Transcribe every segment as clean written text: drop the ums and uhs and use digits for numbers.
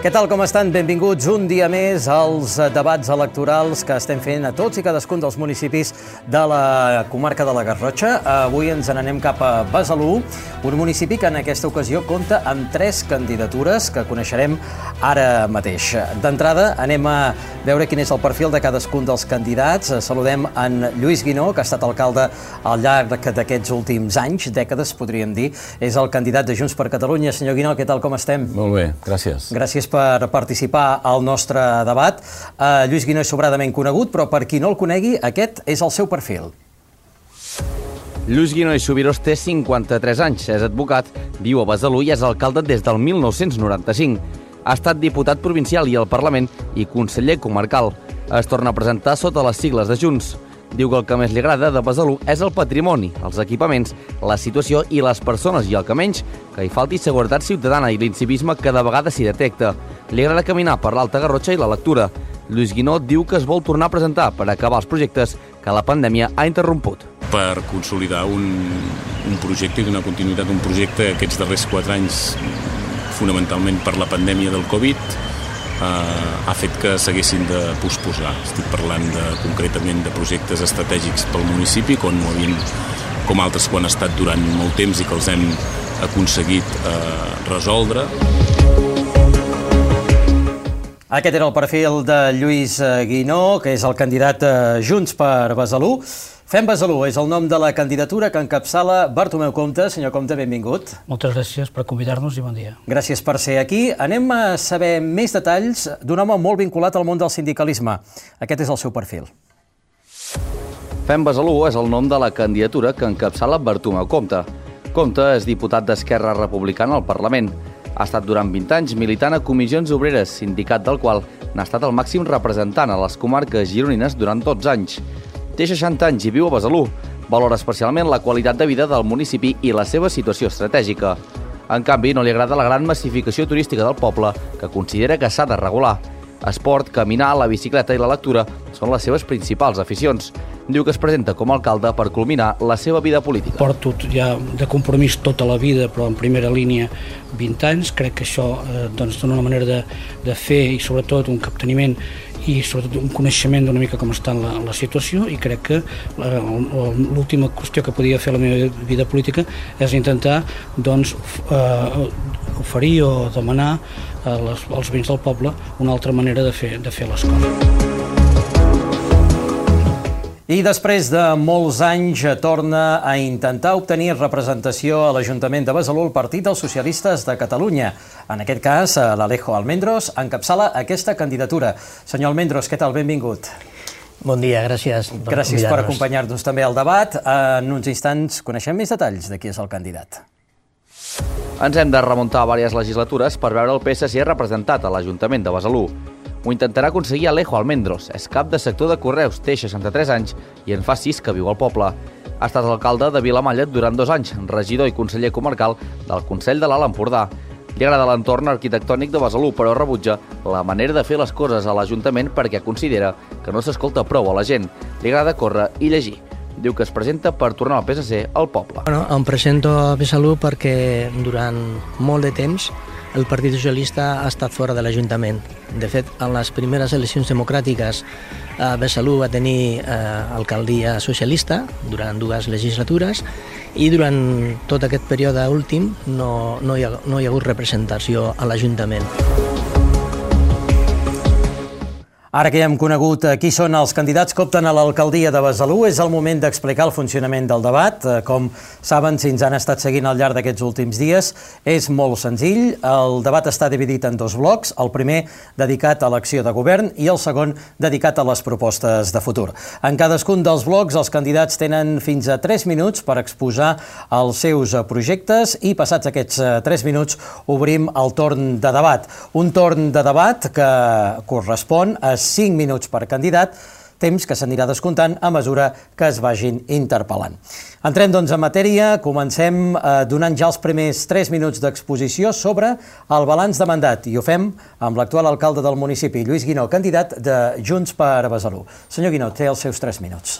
Què tal, com estan? Benvinguts un dia més als debats electorals que estem fent a tots i cadascun dels municipis de la comarca de la Garrotxa. Avui ens n'anem cap a Besalú, un municipi que en aquesta ocasió compta amb 3 candidatures que coneixerem ara mateix. D'entrada, anem a veure quin és el perfil de cadascun dels candidats. Saludem en Lluís Guinó, que ha estat alcalde al llarg d'aquests últims anys, dècades, podríem dir. És el candidat de Junts per Catalunya. Senyor Guinó, què tal, com estem? Molt bé, gràcies. Gràcies per participar al nostre debat. Lluís Guinó és sobradament conegut, però per qui no el conegui, aquest és el seu perfil. Lluís Guinó i Subirós té 53 anys, és advocat, viu a Besalú i és alcalde des del 1995. Ha estat diputat provincial i al Parlament i conseller comarcal. Es torna a presentar sota les sigles de Junts. Diu que el que més li agrada de Besalú és el patrimoni, els equipaments, la situació i les persones, i el que menys, que hi falti seguretat ciutadana i l'incivisme que de vegades s'hi detecta. Li agrada caminar per l'Alta Garrotxa i la lectura. Lluís Guinó diu que es vol tornar a presentar per acabar els projectes que la pandèmia ha interromput. Per consolidar un projecte i donar continuïtat a un projecte aquests darrers 4 anys, fonamentalment per la pandèmia del Covid, ha fet que s'haguessin de posposar. Estic parlant concretament de projectes estratègics pel municipi, com altres que han estat durant molt temps i que els hem aconseguit resoldre. Aquest era el perfil de Lluís Guinó, que és el candidat de Junts per Besalú. Fem Besalú és el nom de la candidatura que encapçala Bartomeu Compte. Senyor Compte, benvingut. Moltes gràcies per convidar-nos i bon dia. Gràcies per ser aquí. Anem a saber més detalls d'un home molt vinculat al món del sindicalisme. Aquest és el seu perfil. Fem Besalú és el nom de la candidatura que encapçala Bartomeu Compte. Compte és diputat d'Esquerra Republicana al Parlament. Ha estat durant 20 anys militant a Comissions Obreres, sindicat del qual n'ha estat el màxim representant a les comarques gironines durant 12 anys. Té 60 anys i viu a Besalú. Valora especialment la qualitat de vida del municipi i la seva situació estratègica. En canvi, no li agrada la gran massificació turística del poble, que considera que s'ha de regular. Esport, caminar, la bicicleta i la lectura són les seves principals aficions. Diu que es presenta com a alcalde per culminar la seva vida política. Porto ja de compromís tota la vida, però en primera línia 20 anys. Crec que això dona una manera de fer i sobretot un capteniment i sobretot un coneixement d'una mica com està la situació, i crec que l'última qüestió que podia fer a la meva vida política és intentar oferir o demanar als veïns del poble una altra manera de fer les coses. I després de molts anys torna a intentar obtenir representació a l'Ajuntament de Besalú el Partit dels Socialistes de Catalunya. En aquest cas, l'Alejo Almendros encapçala aquesta candidatura. Senyor Almendros, què tal? Benvingut. Bon dia, gràcies. Gràcies per acompanyar-nos també al debat. En uns instants coneixem més detalls de qui és el candidat. Ens hem de remuntar a diverses legislatures per veure el PSC representat a l'Ajuntament de Besalú. Ho intentarà aconseguir Alejo Almendros. És cap de sector de Correus, té 63 anys i en fa 6 que viu al poble. Ha estat alcalde de Vilamalla durant 2 anys, regidor i conseller comarcal del Consell de l'Alt Empordà. Li agrada l'entorn arquitectònic de Besalú, però rebutja la manera de fer les coses a l'Ajuntament perquè considera que no s'escolta prou a la gent. Li agrada córrer i llegir. Diu que es presenta per tornar al PSC al poble. Em presento a Besalú perquè durant molt de temps el Partit Socialista ha estat fora de l'Ajuntament. De fet, en les primeres eleccions democràtiques, Besalú va tenir alcaldia socialista durant 2 legislatures i durant tot aquest període últim no hi ha hagut representació a l'Ajuntament. Ara que ja hem conegut qui són els candidats que opten a l'alcaldia de Besalú, és el moment d'explicar el funcionament del debat. Com saben, si ens han estat seguint al llarg d'aquests últims dies, és molt senzill. El debat està dividit en 2 blocs, el primer dedicat a l'acció de govern i el segon dedicat a les propostes de futur. En cadascun dels blocs, els candidats tenen fins a 3 minuts per exposar els seus projectes i passats aquests 3 minuts obrim el torn de debat. Un torn de debat que correspon a 5 minuts per candidat, temps que s'anirà descomptant a mesura que es vagin interpel·lant. Entrem, doncs, en matèria. Comencem donant ja els primers 3 minuts d'exposició sobre el balanç de mandat, i ho fem amb l'actual alcalde del municipi, Lluís Guinó, candidat de Junts per Besalú. Senyor Guinó, té els seus 3 minuts.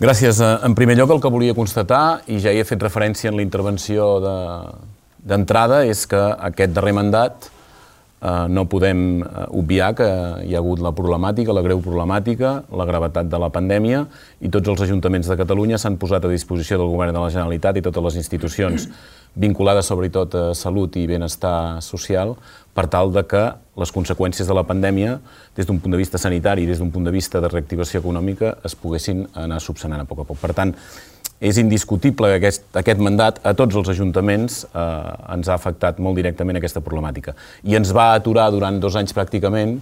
Gràcies. En primer lloc, el que volia constatar, i ja hi he fet referència en la intervenció d'entrada, és que aquest darrer mandat no podem obviar que hi ha hagut la problemàtica, la greu problemàtica, la gravetat de la pandèmia, i tots els ajuntaments de Catalunya s'han posat a disposició del Govern de la Generalitat i totes les institucions vinculades sobretot a salut i benestar social per tal de que les conseqüències de la pandèmia, des d'un punt de vista sanitari i des d'un punt de vista de reactivació econòmica, es poguessin anar subsanant a poc a poc. Per tant, és indiscutible que aquest mandat a tots els ajuntaments ens ha afectat molt directament aquesta problemàtica. I ens va aturar durant 2 anys pràcticament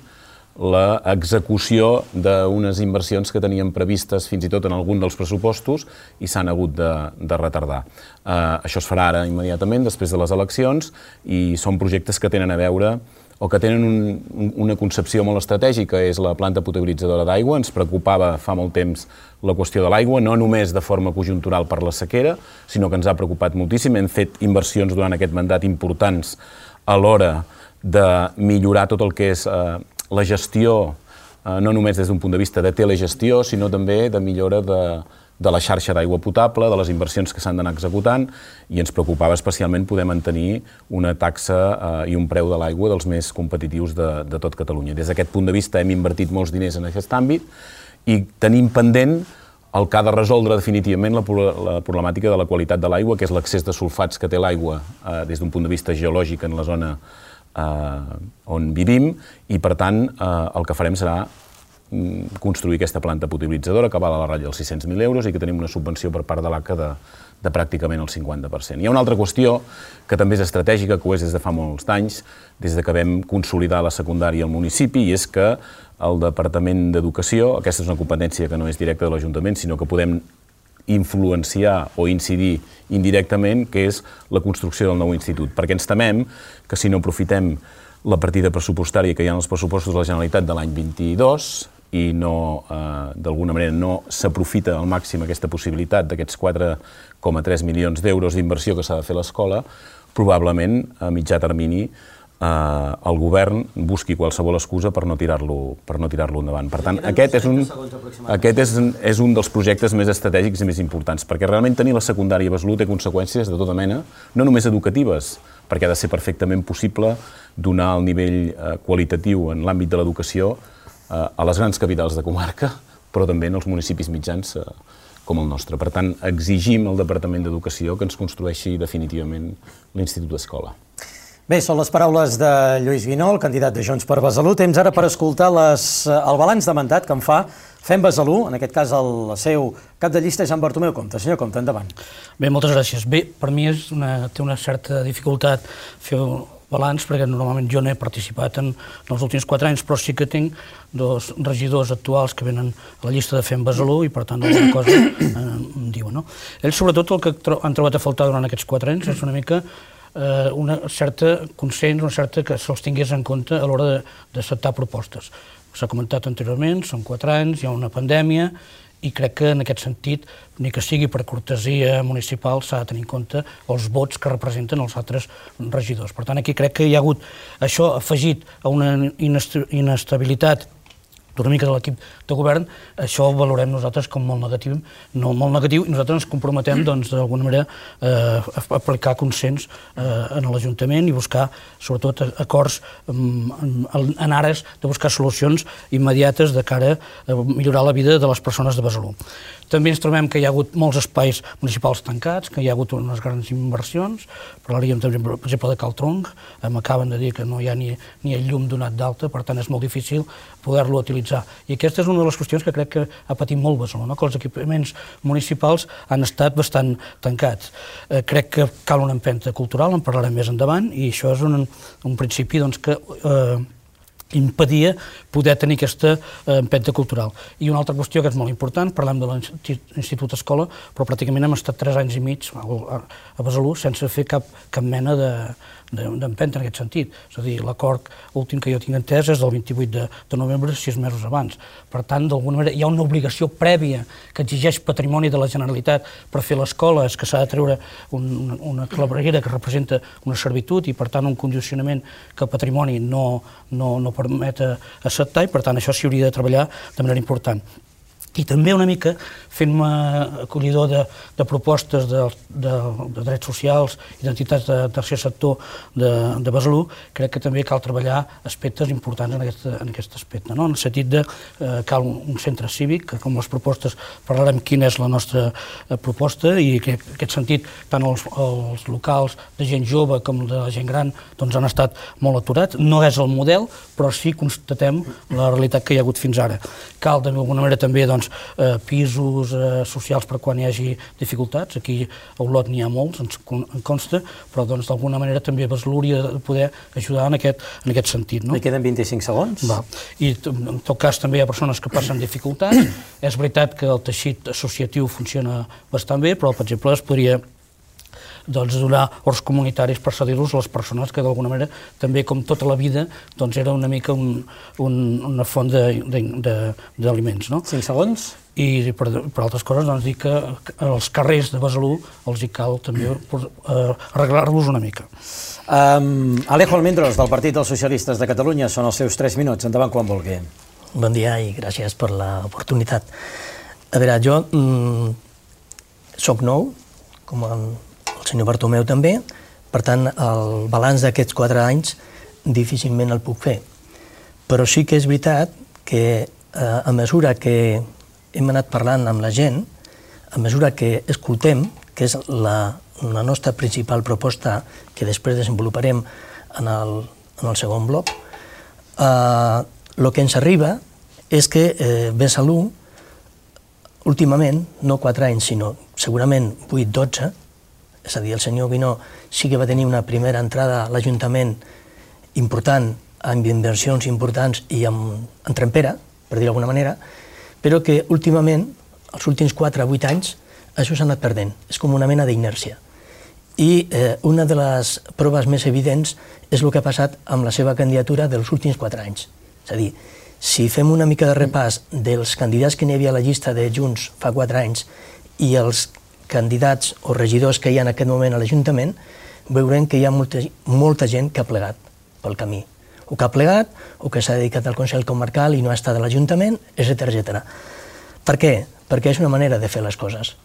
l'execució d'unes inversions que teníem previstes fins i tot en algun dels pressupostos i s'han hagut de retardar. Això es farà ara immediatament, després de les eleccions, i són projectes que tenen a veure o que tenen una concepció molt estratègica, és la planta potabilitzadora d'aigua. Ens preocupava fa molt temps la qüestió de l'aigua, no només de forma conjuntural per la sequera, sinó que ens ha preocupat moltíssim. Hem fet inversions durant aquest mandat importants a l'hora de millorar tot el que és la gestió, no només des d'un punt de vista de telegestió, sinó també de millora de la xarxa d'aigua potable, de les inversions que s'han d'anar executant, i ens preocupava especialment poder mantenir una taxa i un preu de l'aigua dels més competitius de tot Catalunya. Des d'aquest punt de vista hem invertit molts diners en aquest àmbit i tenim pendent el que ha de resoldre definitivament la problemàtica de la qualitat de l'aigua, que és l'excés de sulfats que té l'aigua des d'un punt de vista geològic en la zona on vivim, i per tant el que farem serà construir aquesta planta potabilitzadora que val a la ratlla dels 600.000 euros i que tenim una subvenció per part de l'ACA de pràcticament el 50%. Hi ha una altra qüestió que també és estratègica, que ho és des de fa molts anys, des que vam consolidar la secundària al municipi, i és que el Departament d'Educació, aquesta és una competència que no és directa de l'Ajuntament, sinó que podem influenciar o incidir indirectament, que és la construcció del nou institut, perquè ens temem que si no aprofitem la partida pressupostària que hi ha en els pressupostos de la Generalitat de l'any 22 i d'alguna manera no s'aprofita al màxim aquesta possibilitat d'aquests 4,3 milions d'euros d'inversió que s'ha de fer a l'escola, probablement a mitjà termini el govern busqui qualsevol excusa per no tirar-lo endavant. Per tant, aquest és un dels projectes més estratègics i més importants, perquè realment tenir la secundària a Besalú té conseqüències de tota mena, no només educatives, perquè ha de ser perfectament possible donar el nivell qualitatiu en l'àmbit de l'educació a les grans capitals de comarca, però també en els municipis mitjans com el nostre. Per tant, exigim al Departament d'Educació que ens construeixi definitivament l'Institut d'Escola. Bé, són les paraules de Lluís Guinó, el candidat de Junts per Besalú. Temps ara per escoltar el balanç de mandat que en fa Fem Besalú, en aquest cas el seu cap de llista és en Bartomeu Compte. Senyor Compte, endavant. Bé, moltes gràcies. Bé, per mi té una certa dificultat fer balanç, perquè normalment jo no he participat en els últims 4 anys, però sí que tinc 2 regidors actuals que venen a la llista de Fem Besalú i, per tant, alguna cosa em diuen. Ells, sobretot, el que han trobat a faltar durant aquests 4 anys és una mica una certa consens, una certa que se'ls tingués en compte a l'hora d'acceptar propostes. S'ha comentat anteriorment, són 4 anys, hi ha una pandèmia, i crec que en aquest sentit, ni que sigui per cortesia municipal, s'ha de tenir en compte els vots que representen els altres regidors. Per tant, aquí crec que hi ha hagut això afegit a una inestabilitat una mica de l'equip de govern, això ho valorem nosaltres com molt negatiu, i nosaltres ens comprometem d'alguna manera a aplicar consens en l'Ajuntament i buscar sobretot acords en ares de buscar solucions immediates de cara a millorar la vida de les persones de Besalú. També ens trobem que hi ha hagut molts espais municipals tancats, que hi ha hagut unes grans inversions, parlaríem també, per exemple, de Cal Tronc, m'acaben de dir que no hi ha ni el llum donat d'alta, per tant és molt difícil poder-lo utilitzar. I aquesta és una de les qüestions que crec que ha patit molt Besalú, que els equipaments municipals han estat bastant tancats. Crec que cal una empenta cultural, en parlarem més endavant, i això és un principi que impedia poder tenir aquesta empenta cultural. I una altra qüestió que és molt important, parlem de l'Institut Escola, però pràcticament hem estat 3 anys i mig a Besalú sense fer cap mena d'empenta en aquest sentit. És a dir, l'acord últim que jo tinc entès és del 28 de novembre, 6 mesos abans. Per tant, d'alguna manera, hi ha una obligació prèvia que exigeix patrimoni de la Generalitat per fer l'escola, és que s'ha de treure una claveguera que representa una servitud i, per tant, un condicionament que el patrimoni no permet acceptar, i per tant això s'hi hauria de treballar de manera important. i també una mica fent-me acollidor de propostes de drets socials i d'entitats de tercer sector de Besalú, crec que també cal treballar aspectes importants en aquest aspecte, no? En el sentit de cal un centre cívic, que com les propostes parlarem quina és la nostra proposta, i que en aquest sentit tant els locals de gent jove com de la gent gran doncs han estat molt aturats. No és el model, però sí constatem la realitat que hi ha hagut fins ara. Cal d'alguna manera també pisos socials per quan hi hagi dificultats. Aquí a Olot n'hi ha molts, ens consta, però d'alguna manera també Besalú hauria de poder ajudar en aquest sentit. Li queden 25 segons. I en tot cas també hi ha persones que passen dificultats. És veritat que el teixit associatiu funciona bastant bé, però per exemple es podria donar horts comunitaris per cedir-los a les persones que d'alguna manera també com tota la vida era una mica una font d'aliments. 5 segons. I per altres coses dir que als carrers de Besalú els hi cal també arreglar-los una mica. Alejo Almendros, del Partit dels Socialistes de Catalunya, són els seus 3 minuts. Endavant quan vulgui. Bon dia i gràcies per l'oportunitat. A veure, jo soc nou, com el senyor Bartomeu també, per tant, el balanç d'aquests 4 anys difícilment el puc fer. Però sí que és veritat que a mesura que hem anat parlant amb la gent, a mesura que escoltem, que és la nostra principal proposta que després desenvoluparem en el segon bloc, el que ens arriba és que Besalú, últimament, no 4 anys, sinó segurament 8-12, és a dir, el senyor Guinó sí que va tenir una primera entrada a l'Ajuntament important, amb inversions importants i amb trempera, per dir-ho d'alguna manera, però que últimament, els últims 4 o 8 anys, això s'ha anat perdent. És com una mena d'inèrcia. I una de les proves més evidents és el que ha passat amb la seva candidatura dels últims 4 anys. És a dir, si fem una mica de repàs dels candidats que n'hi havia a la llista de Junts fa 4 anys i els candidats o regidors que hi ha en aquest moment a l'Ajuntament, veurem que hi ha molta gent que ha plegat pel camí. O que ha plegat, o que s'ha dedicat al Consell Comarcal i no ha estat a l'Ajuntament, etc. Per què? Perquè és una manera de fer les coses.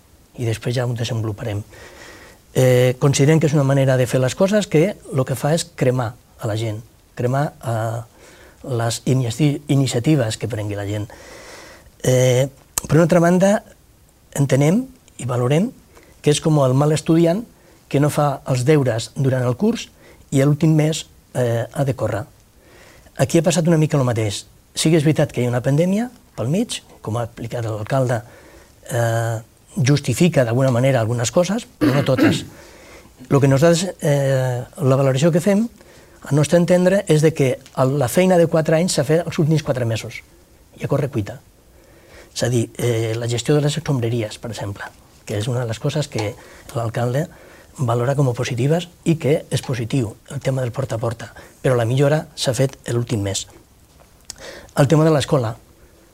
I després ja ho desenvoluparem. Considerem que és una manera de fer les coses que el que fa és cremar a la gent, cremar les iniciatives que prengui la gent. Per una altra banda, entenem i valorem que és com el mal estudiant que no fa els deures durant el curs i l'últim mes ha de córrer. Aquí ha passat una mica el mateix. Sí que és veritat que hi ha una pandèmia pel mig, com ha explicat l'alcalde, justifica d'alguna manera algunes coses, però no totes. El que nosaltres, la valoració que fem, al nostre entendre, és que la feina de 4 anys s'ha fet els últims 4 mesos, i a corre cuita. És a dir, la gestió de les escombraries, per exemple, que és una de les coses que l'alcalde valora com a positives i que és positiu, el tema del porta a porta, però la millora s'ha fet l'últim mes. El tema de l'escola.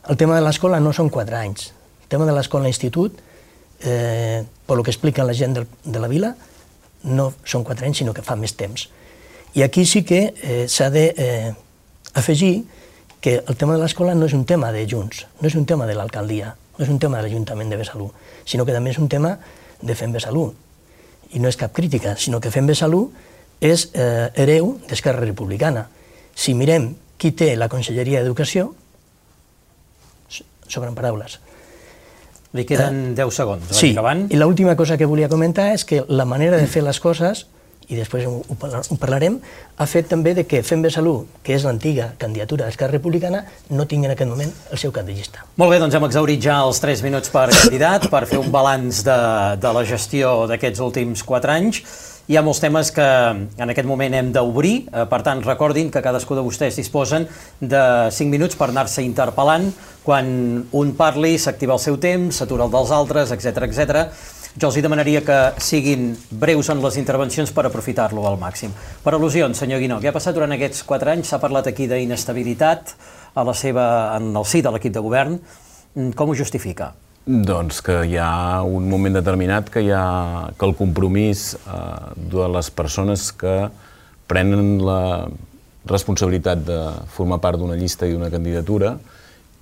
El tema de l'escola no són 4 anys. El tema de l'escola a l'institut, per el que explica la gent de la vila, no són 4 anys, sinó que fa més temps. I aquí sí que s'ha d'afegir que el tema de l'escola no és un tema de Junts, no és un tema de l'alcaldia, no és un tema de l'Ajuntament de Besalú, sinó que també és un tema de Fem Besalú. I no és cap crítica, sinó que Fem Besalú és hereu d'Esquerra Republicana. Si mirem qui té la Conselleria d'Educació, sobren paraules. Li queden 10 segons. Sí, i l'última cosa que volia comentar és que la manera de fer les coses, i després ho parlarem, ha fet també que Fem Besalú, que és l'antiga candidatura d'Esquerra Republicana, no tingui en aquest moment el seu cap de llista. Molt bé, doncs hem exhaurit ja els 3 minuts per candidat, per fer un balanç de la gestió d'aquests últims 4 anys. Hi ha molts temes que en aquest moment hem d'obrir, per tant, recordin que cadascú de vostès disposen de 5 minuts per anar-se interpel·lant. Quan un parli, s'activa el seu temps, s'atura el dels altres, etc. Jo els demanaria que siguin breus en les intervencions per aprofitar-lo al màxim. Per al·lusions, senyor Guinó, què ha passat durant aquests 4 anys? S'ha parlat aquí d'inestabilitat en el si de l'equip de govern. Com ho justifica? Doncs que hi ha un moment determinat que el compromís de les persones que prenen la responsabilitat de formar part d'una llista i d'una candidatura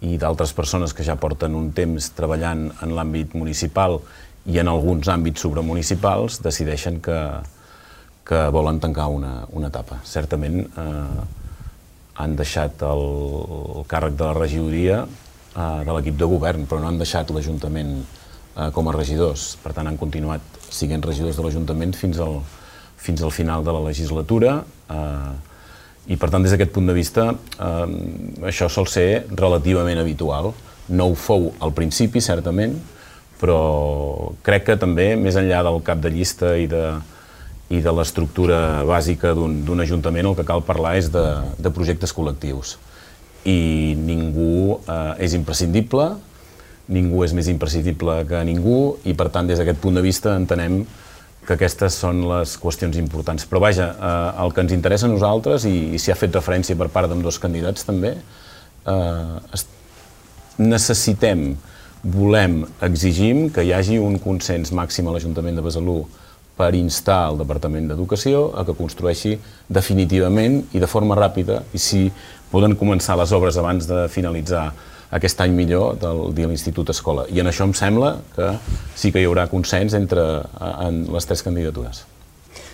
i d'altres persones que ja porten un temps treballant en l'àmbit municipal i en alguns àmbits supramunicipals decideixen que volen tancar una etapa. Certament han deixat el càrrec de la regidoria de l'equip de govern, però no han deixat l'Ajuntament com a regidors. Per tant, han continuat sent regidors de l'Ajuntament fins al final de la legislatura i, per tant, des d'aquest punt de vista, això sol ser relativament habitual. No ho fou al principi, certament, però crec que també, més enllà del cap de llista i de l'estructura bàsica d'un ajuntament, el que cal parlar és de projectes col·lectius. I ningú és imprescindible, ningú és més imprescindible que ningú i, per tant, des d'aquest punt de vista entenem que aquestes són les qüestions importants. Però vaja, el que ens interessa a nosaltres, i s'hi ha fet referència per part d'ambdós candidats també, necessitem, volem, exigim que hi hagi un consens màxim a l'Ajuntament de Besalú per instar el Departament d'Educació a que construeixi definitivament i de forma ràpida, i si poden començar les obres abans de finalitzar aquest any millor de l'Institut Escola. I en això em sembla que sí que hi haurà consens entre les tres candidatures.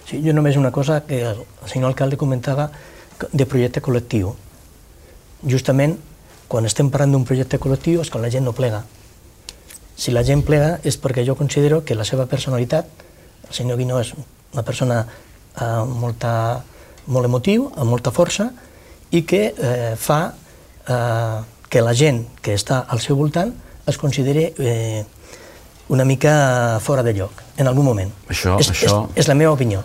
Sí, jo només una cosa que el senyor alcalde comentava de projecte col·lectiu. Justament, quan estem parlant d'un projecte col·lectiu és quan la gent no plega. Si la gent plega és perquè jo considero que la seva personalitat, el senyor Guinó és una persona molt emotiu, amb molta força, i que fa que la gent que està al seu voltant es consideri una mica fora de lloc, en algun moment. És la meva opinió.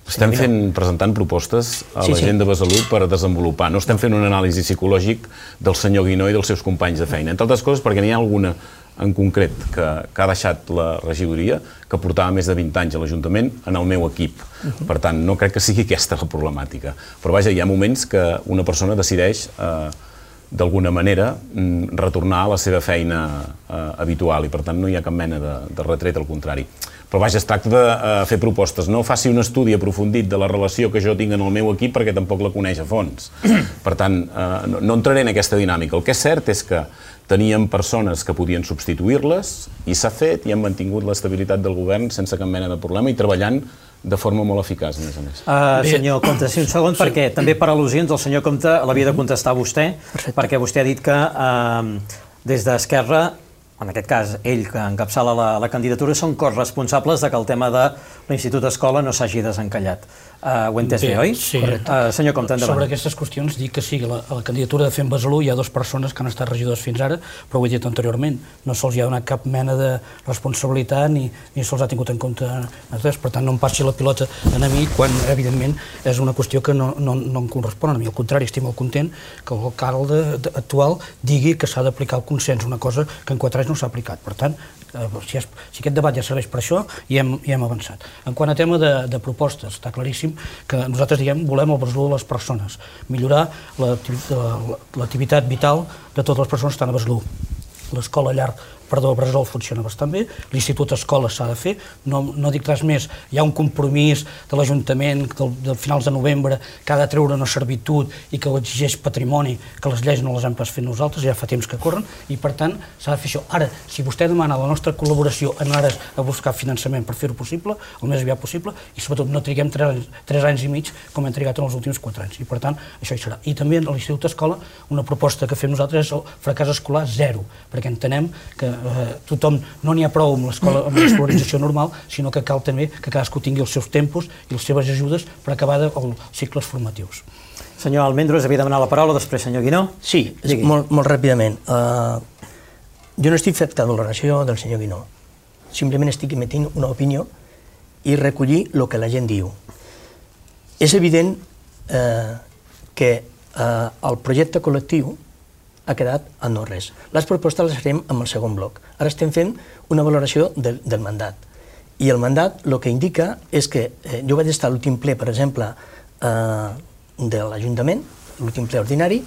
Estem presentant propostes a la gent de Besalú per desenvolupar. No estem fent un anàlisi psicològic del senyor Guinó i dels seus companys de feina. Entre altres coses perquè n'hi ha alguna en concret que ha deixat la regidoria, que portava més de 20 anys a l'Ajuntament en el meu equip. Per tant, no crec que sigui aquesta la problemàtica. Però vaja, hi ha moments que una persona decideix d'alguna manera retornar a la seva feina habitual i per tant no hi ha cap mena de retret, al contrari. Però vaja, es tracta de fer propostes. No faci un estudi aprofundit de la relació que jo tinc en el meu equip perquè tampoc la coneix a fons. Per tant, no entraré en aquesta dinàmica. El que és cert és que teníem persones que podien substituir-les i s'ha fet i hem mantingut l'estabilitat del govern sense cap mena de problema i treballant de forma molt eficaç, a més a més. Senyor Compte, sí, un segon, perquè també per al·lusions el senyor Compte l'havia de contestar vostè, perquè vostè ha dit que des d'Esquerra, en aquest cas ell que encapçala la candidatura, són corresponsables que el tema de l'Institut Escola no s'hagi desencallat. Ho he entès bé, oi? Sí. Senyor Compte, endavant. Sobre aquestes qüestions dic que sí, a la candidatura de Fem Besalú hi ha dues persones que han estat regidors fins ara, però ho he dit anteriorment, no se'ls ha donat cap mena de responsabilitat ni se'ls ha tingut en compte. Per tant, no em passi la pilota a mi quan, evidentment, és una qüestió que no em correspon a mi. Al contrari, estic molt content que l'alcalde actual digui que s'ha d'aplicar el consens, una cosa que en 4 anys no s'ha aplicat. Per tant, si aquest debat ja serveix per això, hi hem avançat. En quant a tema de propostes, està claríssim que nosaltres volem el Besalú de les persones, millorar l'activitat vital de totes les persones que estan a Besalú. L'escola Bressol funciona bastant bé, l'Institut Escola s'ha de fer, no dic res més, hi ha un compromís de l'Ajuntament de finals de novembre que ha de treure una servitud i que ho exigeix patrimoni, que les lleis no les hem pas fet nosaltres, ja fa temps que corren, i per tant s'ha de fer això. Ara, si vostè demana la nostra col·laboració en ares a buscar finançament per fer-ho possible, el més aviat possible, i sobretot no triguem 3 anys i mig com hem trigat en els últims 4 anys, i per tant això hi serà. I també a l'Institut Escola una proposta que fem nosaltres és el fracàs escolar zero, perquè entenem que tothom no n'hi ha prou amb l'escolarització normal, sinó que cal també que cadascú tingui els seus tempos i les seves ajudes per acabar els cicles formatius. Senyor Almendros, havia demanat la paraula, després senyor Guinó. Sí, molt ràpidament. Jo no estic fet cap valoració del senyor Guinó, simplement estic emetent una opinió i recollir el que la gent diu. És evident que el projecte col·lectiu ha quedat a no res. Les propostes les farem amb el segon bloc. Ara estem fent una valoració del mandat. I el mandat el que indica és que jo vaig estar a l'últim ple, per exemple, de l'Ajuntament, l'últim ple ordinari,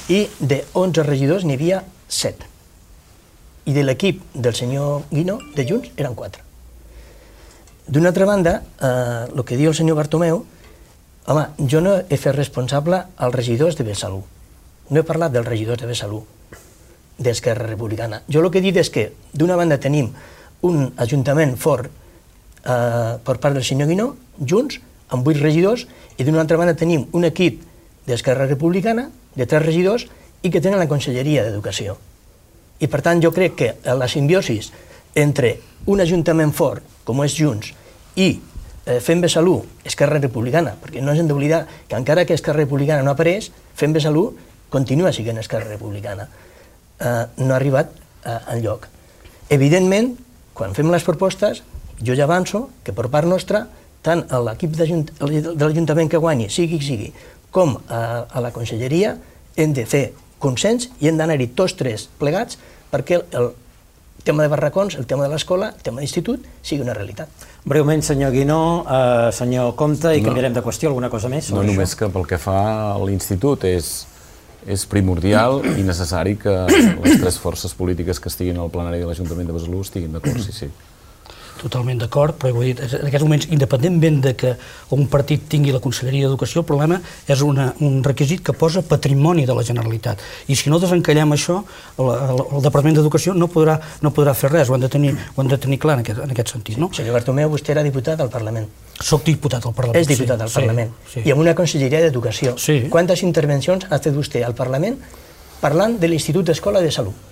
i de 11 regidors n'hi havia 7. I de l'equip del senyor Guinó, de Junts, eren 4. D'una altra banda, el que diu el senyor Bartomeu, home, jo no he fet responsable als regidors de Besalú. No he parlat dels regidors de Besalú. d'Esquerra Republicana. Jo el que he dit és que d'una banda tenim un ajuntament fort per part del senyor Guinó, Junts, amb 8 regidors, i d'una altra banda tenim un equip d'Esquerra Republicana, de 3 regidors, i que tenen la Conselleria d'Educació. I per tant jo crec que la simbiosi entre un ajuntament fort, com és Junts, i Fem Besalú, Esquerra Republicana, perquè no ens hem d'oblidar que encara que Esquerra Republicana no apareix, Fem Besalú continua sent Esquerra Republicana. No ha arribat enlloc. Evidentment, quan fem les propostes, jo ja avanço que per part nostra, tant a l'equip de l'Ajuntament que guanyi, sigui, com a la Conselleria, hem de fer consens i hem d'anar-hi tots 3 plegats perquè el tema de barracons, el tema de l'escola, el tema d'institut, sigui una realitat. Breument, senyor Guinó, senyor Compte, i canviarem de qüestió, alguna cosa més? No, només que pel que fa a l'institut és primordial i necessari que les 3 forces polítiques que estiguin al plenari de l'Ajuntament de Besalú estiguin d'acord, sí. Totalment d'acord, però ho he dit, en aquests moments, independentment de que un partit tingui la Conselleria d'Educació, el problema és un requisit que posa patrimoni de la Generalitat. I si no desencallem això, el Departament d'Educació no podrà fer res, ho han de tenir clar en aquest sentit. Senyor Bartomeu, vostè era diputat al Parlament. Soc diputat al Parlament. És diputat al Parlament. I amb una Conselleria d'Educació. Quantes intervencions ha fet vostè al Parlament parlant de l'Institut d'Escola de Salut?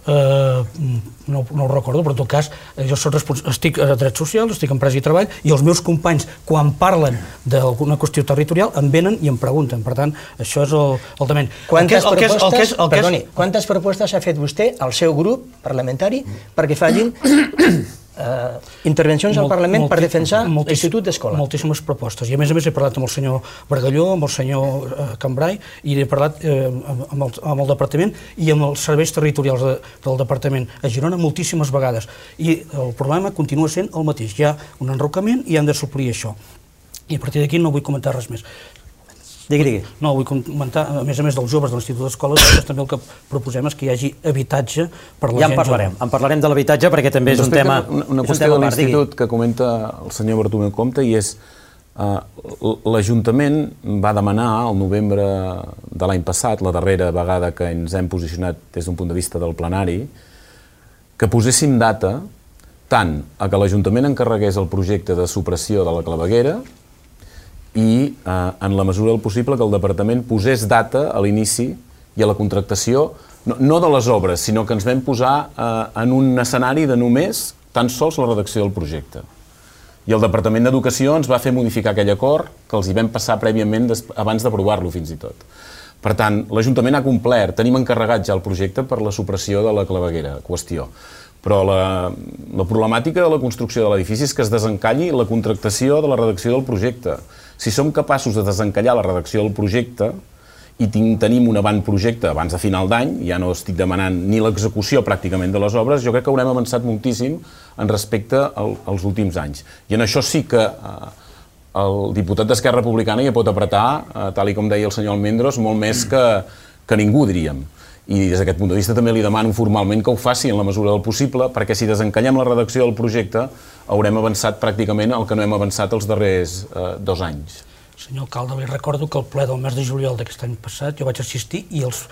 No ho recordo, però en tot cas jo estic a Drets Socials, estic en Empresa i Treball, i els meus companys, quan parlen d'alguna qüestió territorial, em venen i em pregunten. Per tant, això és el tema. Quantes propostes ha fet vostè al seu grup parlamentari perquè facin intervencions al Parlament per defensar l'Institut d'Escola? Moltíssimes propostes. I a més he parlat amb el senyor Bargalló, amb el senyor Cambrai, i he parlat amb el Departament i amb els serveis territorials del Departament a Girona moltíssimes vegades. I el problema continua sent el mateix. Hi ha un enrocament i hem de suplir això. I a partir d'aquí no vull comentar res més. Digui. No, vull comentar, a més dels joves de l'Institut d'Escola, també el que proposem és que hi hagi habitatge per la gent jove. Ja en parlarem de l'habitatge perquè també és un tema... Una qüestió de l'Institut que comenta el senyor Bartomeu Compte i és l'Ajuntament va demanar al novembre de l'any passat, la darrera vegada que ens hem posicionat des d'un punt de vista del plenari, que poséssim data tant a que l'Ajuntament encarregués el projecte de supressió de la claveguera i, en la mesura del possible, que el Departament posés data a l'inici i a la contractació, no de les obres, sinó que ens vam posar en un escenari de només tan sols la redacció del projecte. I el Departament d'Educació ens va fer modificar aquell acord que els hi vam passar prèviament abans d'aprovar-lo, fins i tot. Per tant, l'Ajuntament ha complert, tenim encarregat ja el projecte per la supressió de la claveguera, qüestió. Però la problemàtica de la construcció de l'edifici és que es desencalli la contractació de la redacció del projecte. Si som capaços de desencallar la redacció del projecte i tenim un avantprojecte abans de final d'any, ja no estic demanant ni l'execució pràcticament de les obres, jo crec que haurem avançat moltíssim en respecte als últims anys. I en això sí que el diputat d'Esquerra Republicana ja pot apretar, tal com deia el senyor Almendros, molt més que ningú, diríem. I des d'aquest punt de vista també li demano formalment que ho faci en la mesura del possible, perquè si desencallem la redacció del projecte haurem avançat pràcticament el que no hem avançat els darrers 2 anys. Senyor alcalde, li recordo que al ple del mes de juliol d'aquest any passat jo vaig assistir i els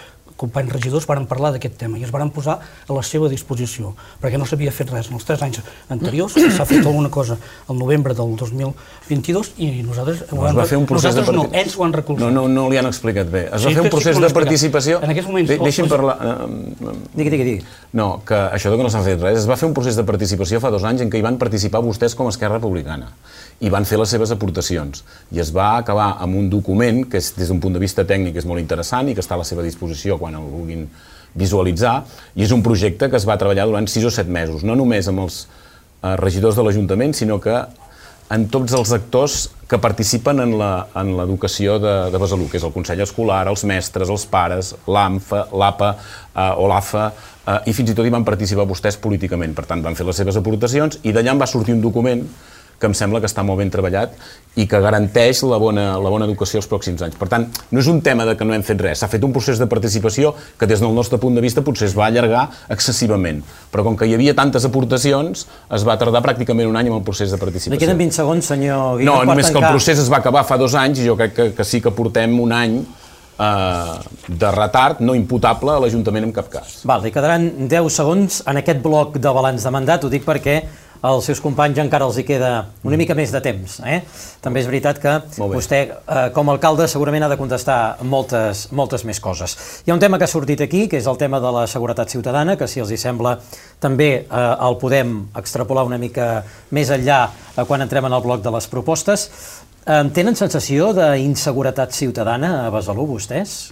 companys regidors varen parlar d'aquest tema i es varen posar a la seva disposició, perquè no s'havia fet res en els 3 anys anteriors, s'ha fet alguna cosa al novembre del 2022 i nosaltres ells ho han recolzat. No li han explicat bé. Es va fer un procés de participació... En aquests moments... Deixi'm parlar... Digui. No, que això que no s'ha fet res, es va fer un procés de participació fa 2 anys en què hi van participar vostès com a Esquerra Republicana i van fer les seves aportacions. I es va acabar amb un document que des d'un punt de vista tècnic és molt interessant i que està a la seva disposició quan el vulguin visualitzar, i és un projecte que es va treballar durant 6 o 7 mesos, no només amb els regidors de l'Ajuntament, sinó que en tots els actors que participen en l'educació de Besalú, que és el Consell Escolar, els mestres, els pares, l'AMFA, l'APA o l'AFA, i fins i tot hi van participar vostès políticament. Per tant, van fer les seves aportacions i d'allà en va sortir un document que em sembla que està molt ben treballat i que garanteix la bona educació els pròxims anys. Per tant, no és un tema de que no hem fet res. S'ha fet un procés de participació que des del nostre punt de vista potser es va allargar excessivament. Però com que hi havia tantes aportacions, es va tardar pràcticament un any amb el procés de participació. Li queden 20 segons, senyor Guinó. No, només que el procés es va acabar fa 2 anys i jo crec que sí que portem un any de retard no imputable a l'Ajuntament en cap cas. Val, li quedaran 10 segons en aquest bloc de balanç de mandat, ho dic perquè als seus companys encara els hi queda una mica més de temps. També és veritat que vostè, com a alcalde, segurament ha de contestar moltes més coses. Hi ha un tema que ha sortit aquí, que és el tema de la seguretat ciutadana, que si els hi sembla també el podem extrapolar una mica més enllà quan entrem en el bloc de les propostes. Tenen sensació d'inseguretat ciutadana a Besalú, vostès?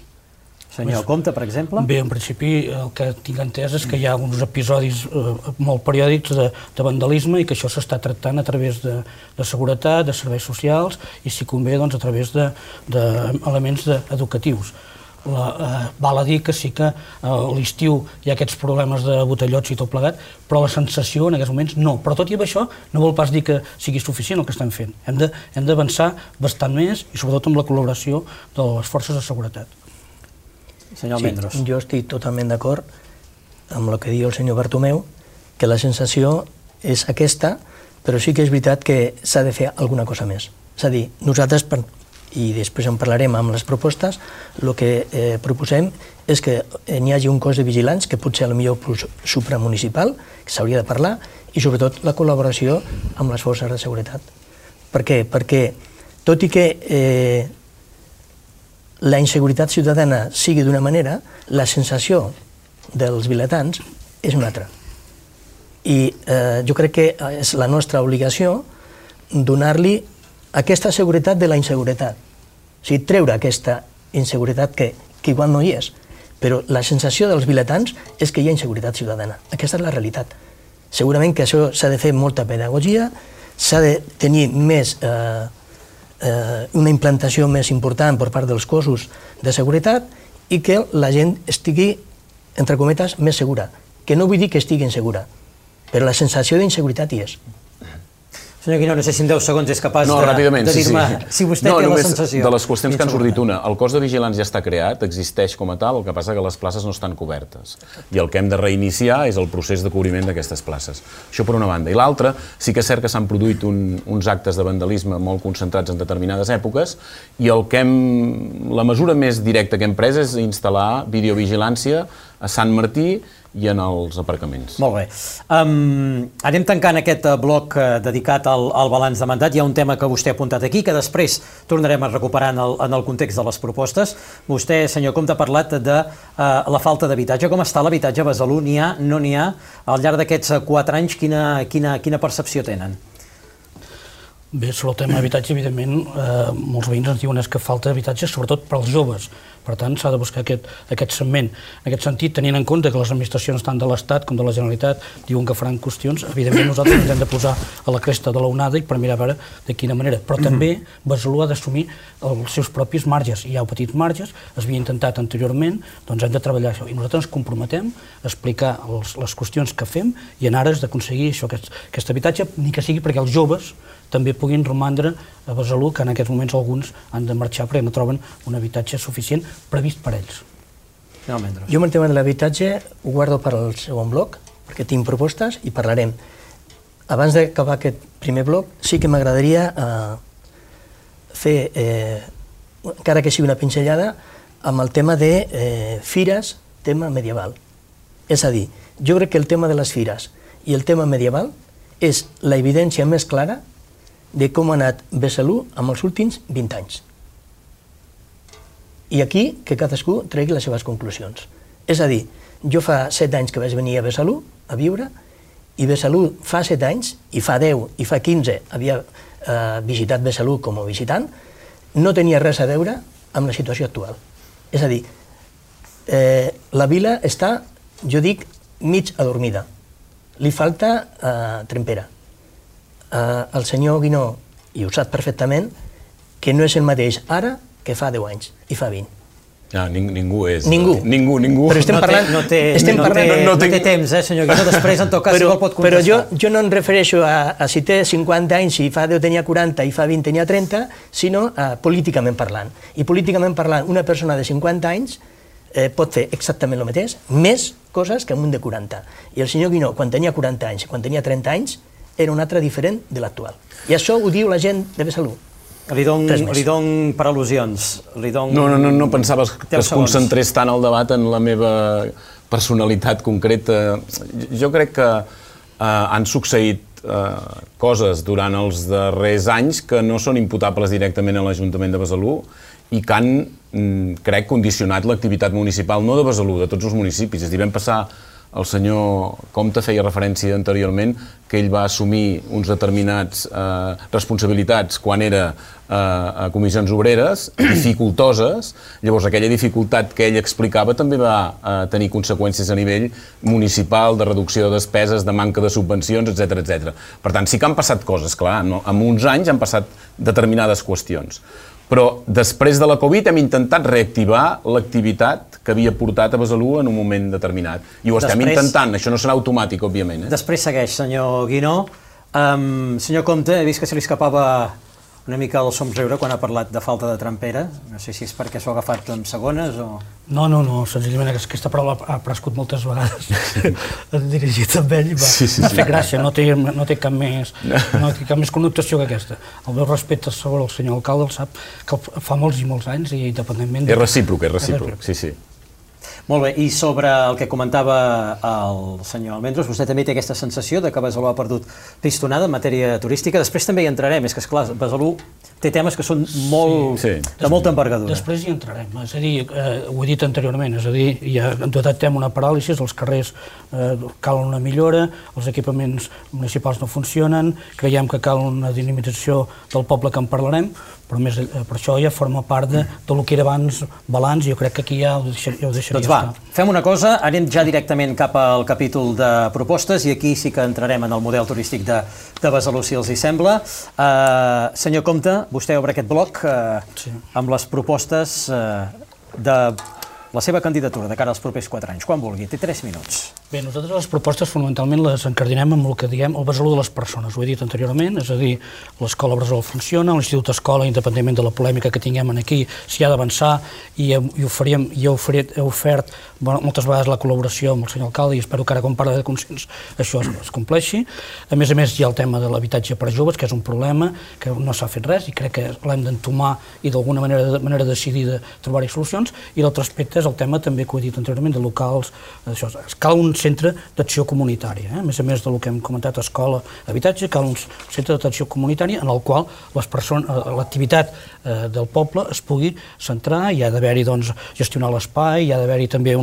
Senyor Compte, per exemple? Bé, en principi el que tinc entès és que hi ha uns episodis molt periòdics de vandalisme i que això s'està tractant a través de seguretat, de serveis socials i, si convé, a través d'elements educatius. Val a dir que sí que a l'estiu hi ha aquests problemes de botellots i tot plegat, però la sensació en aquests moments no. Però tot i això no vol pas dir que sigui suficient el que estem fent. Hem d'avançar bastant més i sobretot amb la col·laboració de les forces de seguretat. Senyor Almendros. Sí, jo estic totalment d'acord amb el que diu el senyor Bartomeu, que la sensació és aquesta, però sí que és veritat que s'ha de fer alguna cosa més. És a dir, nosaltres, i després en parlarem amb les propostes, el que proposem és que n'hi hagi un cos de vigilants, que pot ser potser supramunicipal, que s'hauria de parlar, i sobretot la col·laboració amb les forces de seguretat. Per què? Perquè, tot i que la inseguretat ciutadana sigui d'una manera, la sensació dels vilatans és una altra. I jo crec que és la nostra obligació donar-li aquesta seguretat de la inseguretat. O sigui, treure aquesta inseguretat que igual no hi és, però la sensació dels vilatans és que hi ha inseguretat ciutadana. Aquesta és la realitat. Segurament que això s'ha de fer molta pedagogia, s'ha de tenir més una implantació més important per part dels cossos de seguretat i que la gent estigui, entre cometes, més segura. Que no vull dir que estigui insegura, però la sensació d'inseguretat hi és. Senyor Guinó, no sé si en 10 segons és capaç de dir-me si vostè té la sensació. De les qüestions que han sortit una, el cos de vigilants ja està creat, existeix com a tal, el que passa que les places no estan cobertes. I el que hem de reiniciar és el procés de cobriment d'aquestes places. Això per una banda. I l'altra, sí que és cert que s'han produït uns actes de vandalisme molt concentrats en determinades èpoques i la mesura més directa que hem pres és instal·lar videovigilància a Sant Martí i en els aparcaments. Molt bé. Anem tancant aquest bloc dedicat al balanç de mandat. Hi ha un tema que vostè ha apuntat aquí, que després tornarem a recuperar en el context de les propostes. Vostè, senyor Compte, ha parlat de la falta d'habitatge. Com està l'habitatge a Besalú? N'hi ha, no n'hi ha? Al llarg d'aquests 4 anys, quina percepció tenen? Bé, sobre el tema d'habitatge, evidentment, molts veïns ens diuen que falta habitatge, sobretot per als joves. Per tant, s'ha de buscar aquest segment. En aquest sentit, tenint en compte que les administracions tant de l'Estat com de la Generalitat diuen que faran qüestions, evidentment nosaltres ens hem de posar a la cresta de l'onada i per mirar a veure de quina manera. Però també Besalú ha d'assumir els seus propis marges. Hi ha petits marges, es havia intentat anteriorment, doncs hem de treballar això. I nosaltres ens comprometem a explicar les qüestions que fem i en ares d'aconseguir això, aquest habitatge, ni que sigui perquè els joves també puguin romandre a Besalú, que en aquests moments alguns han de marxar perquè no troben un habitatge suficient previst per ells. Jo amb el tema de l'habitatge ho guardo per al segon bloc, perquè tinc propostes i parlarem. Abans d'acabar aquest primer bloc, sí que m'agradaria fer, encara que sigui una pinzellada, amb el tema de fires, tema medieval. És a dir, jo crec que el tema de les fires i el tema medieval és la evidència més clara de com ha anat Besalú en els últims 20 anys. I aquí que cadascú tregui les seves conclusions. És a dir, jo fa 7 anys que vaig venir a Besalú a viure i Besalú fa 7 anys, i fa 10, i fa 15 havia visitat Besalú com a visitant, no tenia res a veure amb la situació actual. És a dir, la vila està, jo dic, mig adormida. Li falta trempera. El senyor Guinó, i ho sap perfectament, que no és el mateix ara que fa 10 anys i fa 20. Ningú és. Ningú. Però estem parlant... No té temps, senyor Guinó, després en tot cas igual pot contestar. Però jo no em refereixo a si té 50 anys i fa 10 tenia 40 i fa 20 tenia 30, sinó políticament parlant. I políticament parlant, una persona de 50 anys pot fer exactament el mateix, més coses que un de 40. I el senyor Guinó, quan tenia 40 anys i quan tenia 30 anys, era un altre diferent de l'actual. I això ho diu la gent de Besalú. Li dono per al·lusions. No pensaves que es concentrés tant el debat en la meva personalitat concreta. Jo crec que han succeït coses durant els darrers anys que no són imputables directament a l'Ajuntament de Besalú i que han, crec, condicionat l'activitat municipal, no de Besalú, de tots els municipis. És a dir, vam passar, el senyor Compte feia referència anteriorment que ell va assumir uns determinats responsabilitats quan era a comissions obreres, dificultoses. Llavors, aquella dificultat que ell explicava també va tenir conseqüències a nivell municipal, de reducció de despeses, de manca de subvencions, etc. Per tant, sí que han passat coses, clar, en uns anys han passat determinades qüestions. Però després de la Covid hem intentat reactivar l'activitat que havia portat a Besalú en un moment determinat. I ho estem intentant, això no serà automàtic, òbviament. Després segueix, senyor Guinó. Senyor Compte, he vist que se li escapava una mica el somriure quan ha parlat de falta de trampera. No sé si és perquè s'ho ha agafat en segones o... No, senzillament aquesta paraula ha aparegut moltes vegades dirigit amb ell i m'ha fet gràcia, no té cap més connotació que aquesta. El meu respecte sobre el senyor alcalde el sap que fa molts i molts anys i independentment... És recíproc, sí. Molt bé, i sobre el que comentava el senyor Almendros, vostè també té aquesta sensació de que Besalú ha perdut pistonada en matèria turística. Després també hi entrarem, és que, esclar, Besalú té temes que són de molta envergadura. Després hi entrarem, és a dir, ho he dit anteriorment, és a dir, ja detectem una paràlisi, els carrers calen una millora, els equipaments municipals no funcionen, creiem que cal una dinamització del poble que en parlarem, però per això ja forma part del que era abans balanç i jo crec que aquí ja ho deixaria estar. Doncs va, fem una cosa, anem ja directament cap al capítol de propostes i aquí sí que entrarem en el model turístic de Besalú, si els hi sembla. Senyor Compte, vostè obre aquest bloc amb les propostes de la seva candidatura de cara als propers 4 anys. Quan vulgui, té 3 minuts. Bé, nosaltres les propostes fonamentalment les encardinem amb el que diem el Besalú de les persones, ho he dit anteriorment, és a dir, l'escola Bressol funciona, l'Institut Escola, independentment de la polèmica que tinguem aquí, s'hi ha d'avançar i he ofert moltes vegades la col·laboració amb el senyor alcalde i espero que ara quan parla de consens això es compleixi. A més hi ha el tema de l'habitatge per a joves, que és un problema que no s'ha fet res i crec que l'hem d'entomar i d'alguna manera decidida trobar-hi solucions. I l'altre aspecte és el tema també que ho he dit anteriorment de locals, això, cal un centre d'acció comunitària, a més del que hem comentat, escola, habitatge, cal un centre d'atenció comunitària en el qual l'activitat del poble es pugui centrar, hi ha d'haver-hi gestionar l'espai, hi ha d'haver-hi també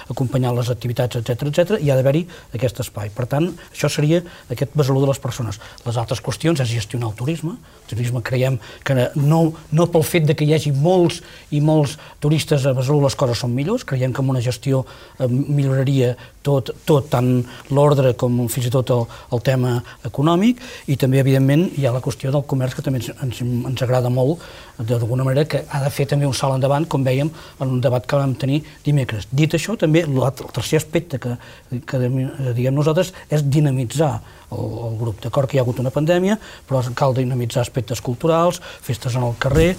acompanyar les activitats, etc. Hi ha d'haver-hi aquest espai. Per tant, això seria aquest Besalú de les persones. Les altres qüestions és gestionar el turisme. El turisme creiem que no pel fet que hi hagi molts i molts turistes a Besalú les coses són millors, creiem que amb una gestió milloraria tot, tant l'ordre com fins i tot el tema econòmic, i també, evidentment, hi ha la qüestió del comerç, que també ens agrada molt, d'alguna manera, que ha de fer també un salt endavant, com vèiem en un debat que vam tenir dimecres. Dit això, també, el tercer aspecte que diguem nosaltres és dinamitzar el grup. D'acord que hi ha hagut una pandèmia, però cal dinamitzar aspectes culturals, festes en el carrer,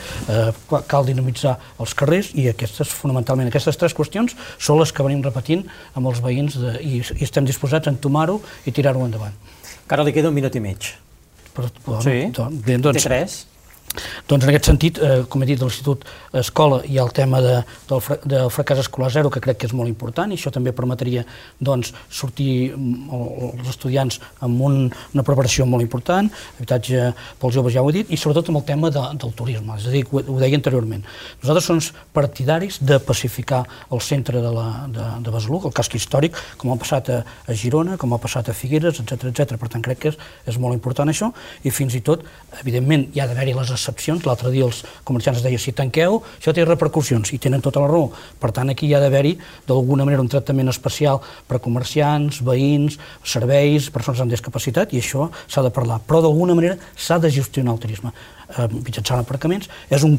cal dinamitzar els carrers, i fonamentalment aquestes 3 qüestions són les que venim repetint amb els veïns i estem disposats a entomar-ho i tirar-ho endavant. Encara li queda 1 minut i mig. Sí, té 3. Doncs en aquest sentit, com he dit, de l'Institut Escola hi ha el tema del fracàs escolar zero, que crec que és molt important, i això també permetria sortir els estudiants amb una preparació molt important, habitatge pels joves, ja ho he dit, i sobretot amb el tema del turisme, és a dir, ho deia anteriorment. Nosaltres som partidaris de pacificar el centre de Besalú, el casc històric, com ha passat a Girona, com ha passat a Figueres, etc. Per tant, crec que és molt important això, i fins i tot, evidentment, hi ha d'haver-hi les excepcions. L'altre dia els comerciants es deia, si tanqueu, això té repercussions, i tenen tota la raó. Per tant, aquí hi ha d'haver-hi, d'alguna manera, un tractament especial per a comerciants, veïns, serveis, persones amb discapacitat, i això s'ha de parlar. Però, d'alguna manera, s'ha de gestionar el turisme mitjançant aparcaments. És un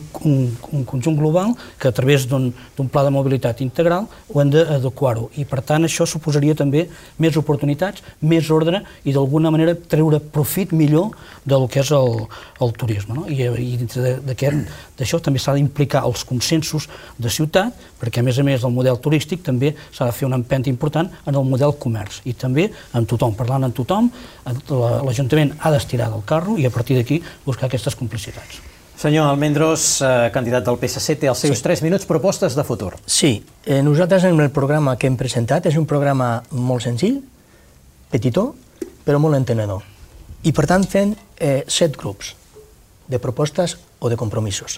conjunt global que a través d'un pla de mobilitat integral ho hem d'adequar-ho, i per tant això suposaria també més oportunitats, més ordre i d'alguna manera treure profit millor del que és el turisme, no? I dintre d'això també s'ha d'implicar els consensos de ciutat, perquè a més del model turístic també s'ha de fer una empenta important en el model comerç, i també amb tothom, parlant amb tothom, l'Ajuntament ha d'estirar del carro i a partir d'aquí buscar aquestes complicitats. Senyor Almendros, candidat del PSC, té els seus 3 minuts, propostes de futur. Sí, nosaltres en el programa que hem presentat és un programa molt senzill, petitó, però molt entenedor. I per tant fem 7 grups de propostes o de compromisos.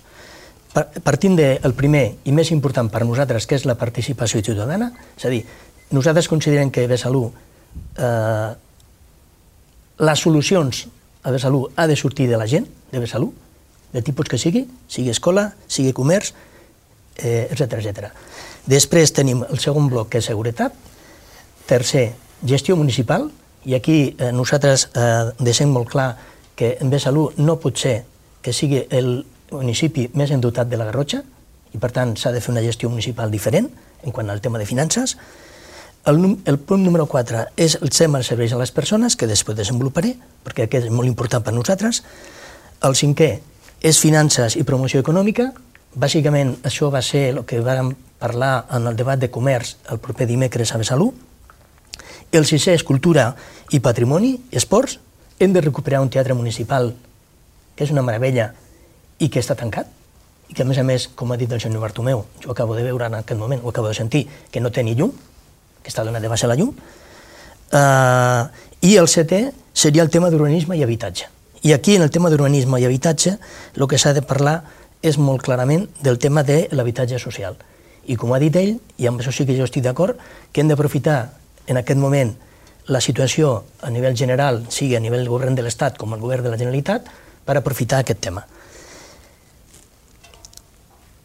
Partint del primer i més important per nosaltres, que és la participació ciutadana, és a dir, nosaltres considerem que Besalú, les solucions a Besalú ha de sortir de la gent de Besalú, de tipus que sigui escola, sigui comerç, etc. Després tenim el segon bloc, que és seguretat. Tercer, gestió municipal, i aquí nosaltres deixem molt clar que en Besalú no pot ser que sigui el municipi més endotat de la Garrotxa, i per tant s'ha de fer una gestió municipal diferent en quant al tema de finances. El punt número 4 és el tema dels serveis a les persones, que després desenvoluparé, perquè aquest és molt important per nosaltres. El cinquè és finances i promoció econòmica. Bàsicament, això va ser el que vam parlar en el debat de comerç el proper dimecres a Besalú. El sisè és cultura i patrimoni, esports. Hem de recuperar un teatre municipal, que és una meravella, i que està tancat, i que, a més, com ha dit el senyor Bartomeu, jo acabo de veure en aquest moment, ho acabo de sentir, que no té ni llum, que està donant de baixa la llum. I el setè seria el tema d'urbanisme i habitatge. I aquí, en el tema d'urbanisme i habitatge, el que s'ha de parlar és molt clarament del tema de l'habitatge social. I com ha dit ell, i amb això sí que jo estic d'acord, que hem d'aprofitar en aquest moment la situació a nivell general, sigui a nivell del govern de l'Estat com el govern de la Generalitat, per aprofitar aquest tema.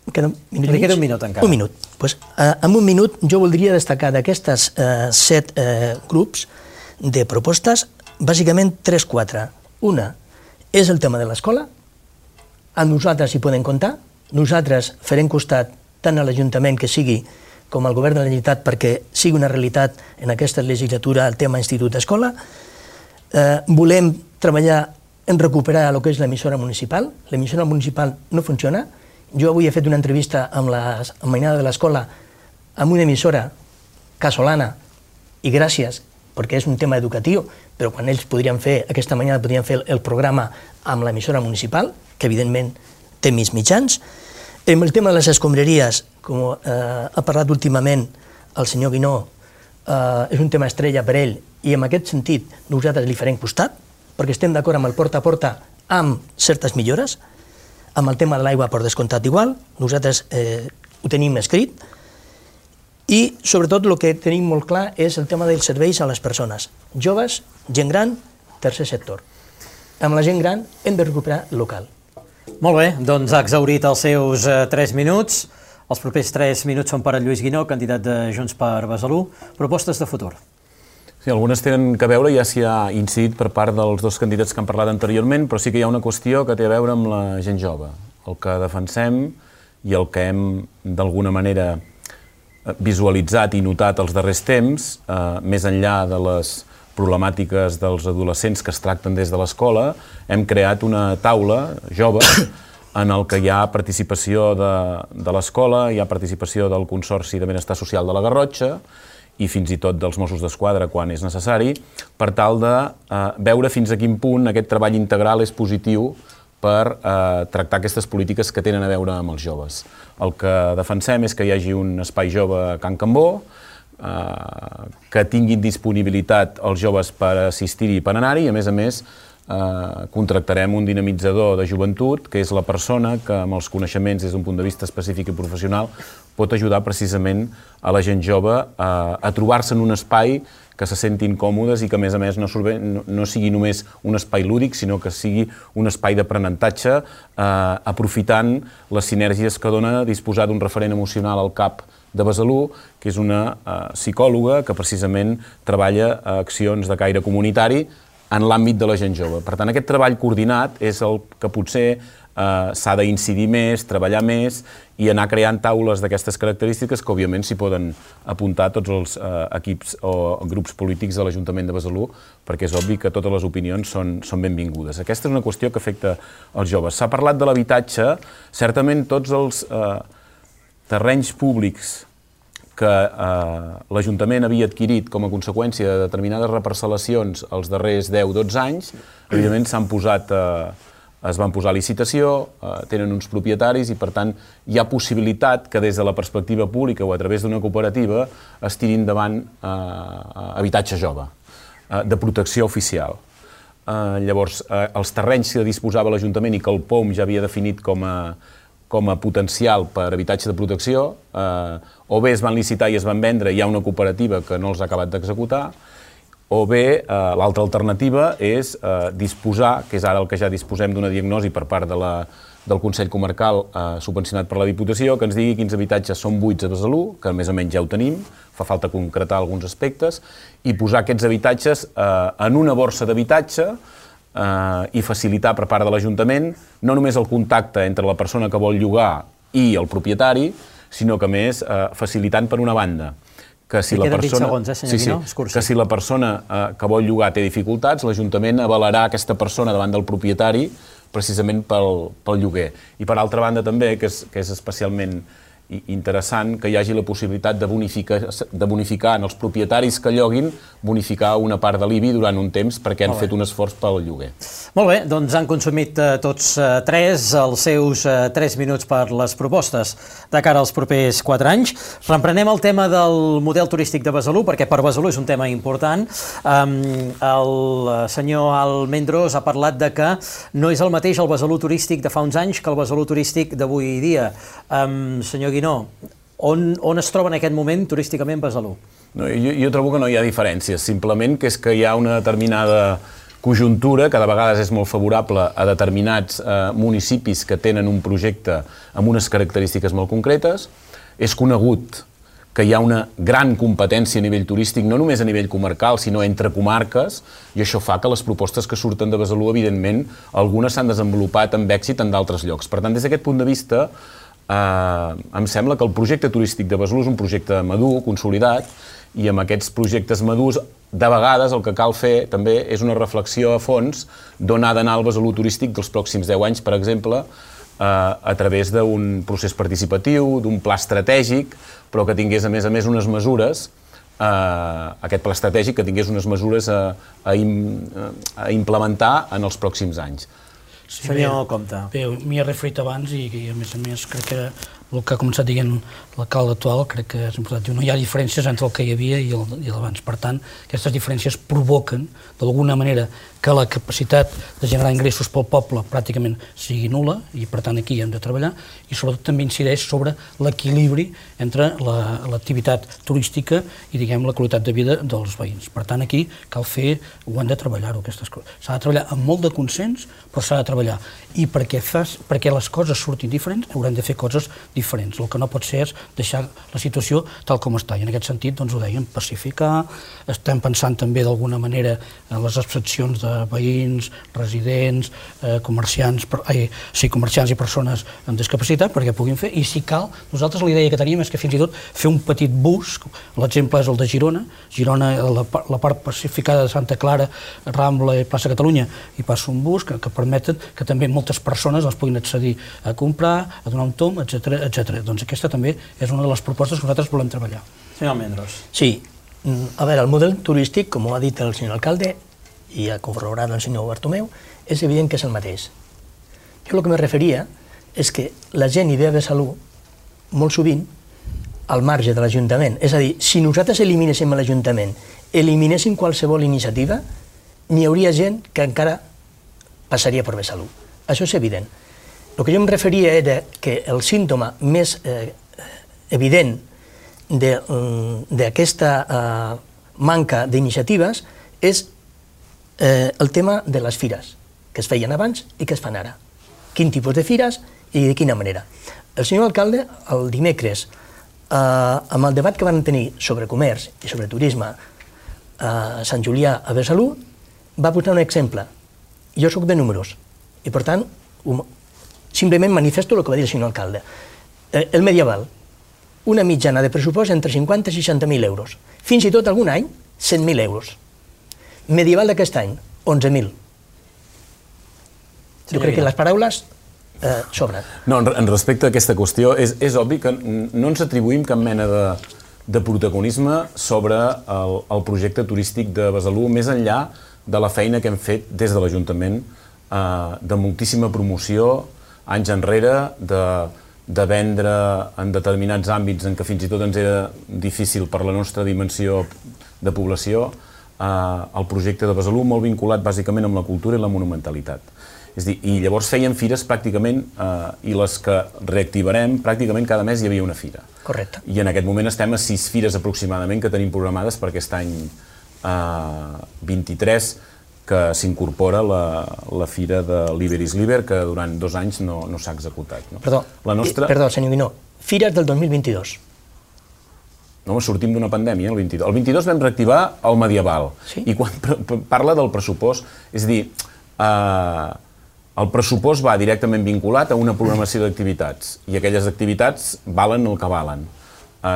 Li queda un minut encara. Un minut. En un minut jo voldria destacar d'aquestes 7 grups de propostes, bàsicament 3-4. Una és el tema de l'escola. Amb nosaltres hi podem comptar. Nosaltres farem costat tant a l'Ajuntament que sigui com al Govern de la Generalitat perquè sigui una realitat en aquesta legislatura el tema institut-escola. Volem treballar en recuperar el que és l'emissora municipal. L'emissora municipal no funciona. Jo avui he fet una entrevista amb la mainada de l'escola amb una emissora casolana, i gràcies, perquè és un tema educatiu, però quan ells podrien fer, aquesta mañana podrien fer el programa amb l'emissora municipal, que evidentment té més mitjans. En el tema de les escombraries, com ha parlat últimament el senyor Guinó, és un tema estrella per ell, i en aquest sentit nosaltres li farem costat, perquè estem d'acord amb el porta a porta amb certes millores, amb el tema de l'aigua per descomptat igual, nosaltres ho tenim escrit, i sobretot el que tenim molt clar és el tema dels serveis a les persones, joves, gent gran, tercer sector. Amb la gent gran hem de recuperar el local. Molt bé, doncs ha exhaurit els seus 3 minuts. Els propers 3 minuts són per a Lluís Guinó, candidat de Junts per Besalú. Propostes de futur. Sí, algunes tenen a veure, ja s'hi ha incidit per part dels 2 candidats que han parlat anteriorment, però sí que hi ha una qüestió que té a veure amb la gent jove. El que defensem i el que hem, d'alguna manera, visualitzat i notat els darrers temps, més enllà de les problemàtiques dels adolescents que es tracten des de l'escola, hem creat una taula jove en el que hi ha participació de l'escola, hi ha participació del Consorci de Benestar Social de la Garrotxa i fins i tot dels Mossos d'Esquadra quan és necessari, per tal de veure fins a quin punt aquest treball integral és positiu per tractar aquestes polítiques que tenen a veure amb els joves. El que defensem és que hi hagi un espai jove a Can Cambó, que tinguin disponibilitat els joves per assistir-hi i per anar-hi, i a més contractarem un dinamitzador de joventut, que és la persona que amb els coneixements des d'un punt de vista específic i professional pot ajudar precisament a la gent jove a trobar-se en un espai que se sentin còmodes i que, a més, no sigui només un espai lúdic, sinó que sigui un espai d'aprenentatge, aprofitant les sinergies que dona disposar d'un referent emocional al CAP de Besalú, que és una psicòloga que precisament treballa accions de caire comunitari en l'àmbit de la gent jove. Per tant, aquest treball coordinat és el que potser s'ha d'incidir més, treballar més i anar creant taules d'aquestes característiques que, òbviament, s'hi poden apuntar tots els equips o grups polítics de l'Ajuntament de Besalú, perquè és obvi que totes les opinions són benvingudes. Aquesta és una qüestió que afecta els joves. S'ha parlat de l'habitatge. Certament, tots els terrenys públics que l'Ajuntament havia adquirit com a conseqüència de determinades reparcel·lacions els darrers 10-12 anys, evidentment s'han posat es van posar a licitació, tenen uns propietaris i, per tant, hi ha possibilitat que des de la perspectiva pública o a través d'una cooperativa es tiri endavant habitatge jove, de protecció oficial. Llavors, els terrenys que disposava l'Ajuntament i que el POM ja havia definit com a potencial per habitatge de protecció, o bé es van licitar i es van vendre, hi ha una cooperativa que no els ha acabat d'executar, o bé l'altra alternativa és disposar, que és ara el que ja disposem d'una diagnosi per part del Consell Comarcal subvencionat per la Diputació, que ens digui quins habitatges són buits a Besalú, que més o menys ja ho tenim, fa falta concretar alguns aspectes, i posar aquests habitatges en una borsa d'habitatge i facilitar per part de l'Ajuntament no només el contacte entre la persona que vol llogar i el propietari, sinó que més facilitant per una banda que si la persona que vol llogar té dificultats, l'Ajuntament avalarà aquesta persona davant del propietari precisament pel lloguer. I per altra banda també, que és especialment interessant, que hi hagi la possibilitat de bonificar en els propietaris que lloguin, bonificar una part de l'IBI durant un temps perquè han fet un esforç pel lloguer. Molt bé, doncs han consumit tots tres els seus 3 minuts per les propostes de cara als propers 4 anys. Reprenem el tema del model turístic de Besalú, perquè per Besalú és un tema important. El senyor Almendros ha parlat de que no és el mateix el Besalú turístic de fa uns anys que el Besalú turístic d'avui dia. Senyor Guinó, on es troba en aquest moment turísticament Besalú? Jo trobo que no hi ha diferències, simplement que és que hi ha una determinada conjuntura que de vegades és molt favorable a determinats municipis que tenen un projecte amb unes característiques molt concretes. És conegut que hi ha una gran competència a nivell turístic, no només a nivell comarcal, sinó entre comarques, i això fa que les propostes que surten de Besalú, evidentment, algunes s'han desenvolupat amb èxit en d'altres llocs. Per tant, des d'aquest punt de vista, em sembla que el projecte turístic de Besalú és un projecte madur, consolidat, i amb aquests projectes madurs, de vegades el que cal fer també és una reflexió a fons d'on ha d'anar el Besalú turístic dels pròxims 10 anys, per exemple, a través d'un procés participatiu, d'un pla estratègic, però que tingués a més unes mesures, aquest pla estratègic que tingués unes mesures a implementar en els pròxims anys. Senyor Compte. Bé, m'hi he referit abans i a més crec que el que ha començat dient l'alcalde actual crec que és important. Diu, no hi ha diferències entre el que hi havia i l'abans. Per tant, aquestes diferències provoquen, d'alguna manera, que la capacitat de generar ingressos pel poble pràcticament sigui nul·la, i per tant aquí hem de treballar, i sobretot també incideix sobre l'equilibri entre l'activitat turística i, diguem, la qualitat de vida dels veïns. Per tant, aquí cal fer, ho hem de treballar-ho, aquestes coses. S'ha de treballar amb molt de consens, però s'ha de treballar. I perquè les coses surtin diferents, haurem de fer coses diferents. El que no pot ser és deixar la situació tal com està. I en aquest sentit, doncs ho dèiem, pacificar, estem pensant també d'alguna manera en les abstraccions de veïns, residents, comerciants i persones amb discapacitat perquè puguin fer, i si cal, nosaltres la idea que teníem és que fins i tot fer un petit bus, l'exemple és el de Girona, la part pacificada de Santa Clara, Rambla i Plaça Catalunya, hi passa un bus que permeten que també moltes persones els puguin accedir a comprar, a donar un tom, etc. Doncs aquesta també és una de les propostes que nosaltres volem treballar. Senyor Almendros. Sí, a veure, el model turístic, com ho ha dit el senyor alcalde, i ha corroborat el senyor Bartomeu, és evident que és el mateix. Jo el que me referia és que la gent hi ve a Besalú molt sovint al marge de l'Ajuntament. És a dir, si nosaltres eliminéssim l'Ajuntament, eliminéssim qualsevol iniciativa, n'hi hauria gent que encara passaria per Besalú. Això és evident. El que jo em referia era que el símptoma més evident d'aquesta manca d'iniciatives és el tema de les fires, que es feien abans i que es fan ara. Quin tipus de fires i de quina manera. El senyor alcalde, el dimecres, amb el debat que van tenir sobre comerç i sobre turisme a Sant Julià, a Besalú, va posar un exemple. Jo soc de números i, per tant, simplement manifesto el que va dir el senyor alcalde. El medieval, una mitjana de pressupost entre 50 i 60.000 euros. Fins i tot algun any, 100.000 euros. Medieval d'aquest any, 11.000. Jo crec que les paraules sobren. No, en respecte a aquesta qüestió, és obvi que no ens atribuïm cap mena de protagonisme sobre el projecte turístic de Besalú, més enllà de la feina que hem fet des de l'Ajuntament de moltíssima promoció, anys enrere, de vendre en determinats àmbits en què fins i tot ens era difícil per la nostra dimensió de població, el projecte de Besalú, molt vinculat bàsicament amb la cultura i la monumentalitat. És a dir, i llavors feien fires pràcticament, i les que reactivarem, pràcticament cada mes hi havia una fira. Correcte. I en aquest moment estem a 6 fires aproximadament que tenim programades per aquest any 23, que s'incorpora la fira de Liber is Liber, que durant 2 anys no s'ha executat. Perdó, senyor Guinó, fires del 2022. No, sortim d'una pandèmia, el 22. El 22 vam reactivar el medieval. I quan parla del pressupost, és a dir, el pressupost va directament vinculat a una programació d'activitats, i aquelles activitats valen el que valen.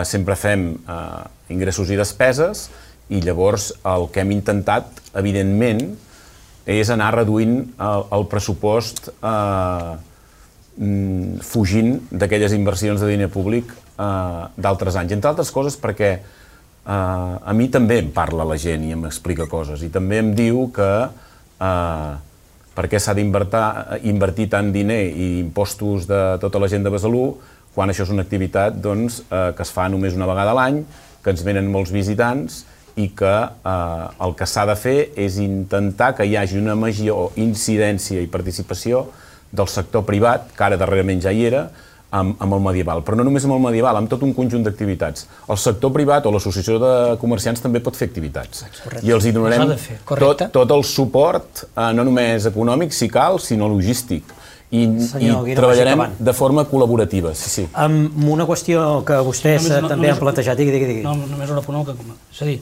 Sempre fem ingressos i despeses, i llavors el que hem intentat, evidentment, és anar reduint el pressupost fugint d'aquelles inversions de diner públic d'altres anys. Entre altres coses perquè a mi també em parla la gent i m'explica coses, i també em diu que per què s'ha d'invertir tant diner i impostos de tota la gent de Besalú quan això és una activitat que es fa només una vegada a l'any, que ens venen molts visitants i que el que s'ha de fer és intentar que hi hagi una major incidència i participació del sector privat, que ara darrerament ja hi era, amb el medieval. Però no només amb el medieval, amb tot un conjunt d'activitats. El sector privat o l'associació de comerciants també pot fer activitats. I els hi donarem tot el suport, no només econòmic, si cal, sinó logístic. I treballarem de forma col·laborativa. Amb una qüestió que vostès també han plantejat. Digui. Només una punt. És a dir,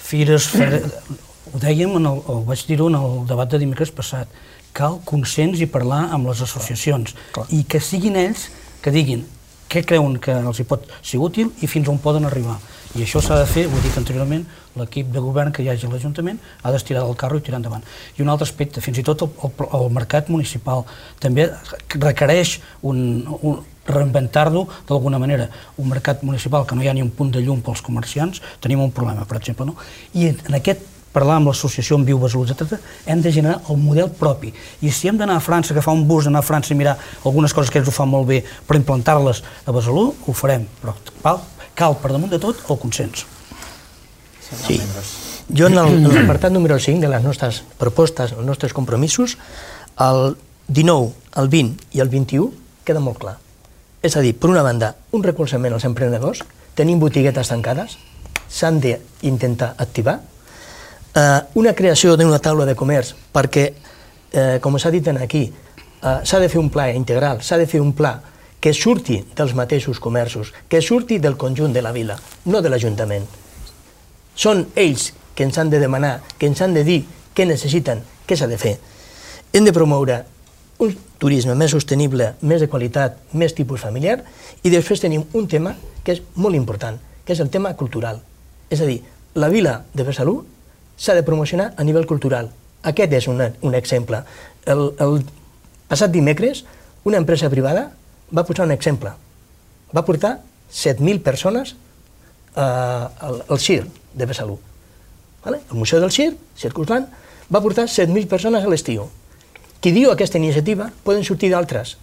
fires, ho dèiem, ho vaig dir-ho en el debat de dimecres passat, cal consens i parlar amb les associacions i que siguin ells que diguin què creuen que els hi pot ser útil i fins on poden arribar. I això s'ha de fer, ho he dit anteriorment, l'equip de govern que hi hagi a l'Ajuntament ha d'estirar del carro i tirar endavant. I un altre aspecte, fins i tot el mercat municipal també requereix reinventar-lo d'alguna manera. Un mercat municipal que no hi ha ni un punt de llum pels comerciants, tenim un problema, per exemple. I en aquest parlar amb l'associació, amb Viu Besalú, etc., hem de generar el model propi. I si hem d'anar a França, agafar un bus, anar a França i mirar algunes coses que ells ho fan molt bé per implantar-les a Besalú, ho farem. Però cal, per damunt de tot, el consens. Sí. Jo en l'apartat número 5 de les nostres propostes, els nostres compromisos, el 19, el 20 i el 21 queda molt clar. És a dir, per una banda, un recolzament als emprenedors, tenim botiguetes tancades, s'han d'intentar activar, una creació d'una taula de comerç perquè, com s'ha dit aquí, s'ha de fer un pla integral, s'ha de fer un pla que surti dels mateixos comerços, que surti del conjunt de la vila, no de l'Ajuntament. Són ells que ens han de demanar, que ens han de dir què necessiten, què s'ha de fer. Hem de promoure un turisme més sostenible, més de qualitat, més tipus familiar, i després tenim un tema que és molt important, que és el tema cultural. És a dir, la vila de Besalú s'ha de promocionar a nivell cultural. Aquest és un exemple. El passat dimecres, una empresa privada va posar un exemple. Va portar 7.000 persones al circ de Besalú. El Museu del Circ, Circusland, va portar 7.000 persones a l'estiu. Qui diu aquesta iniciativa poden sortir d'altres.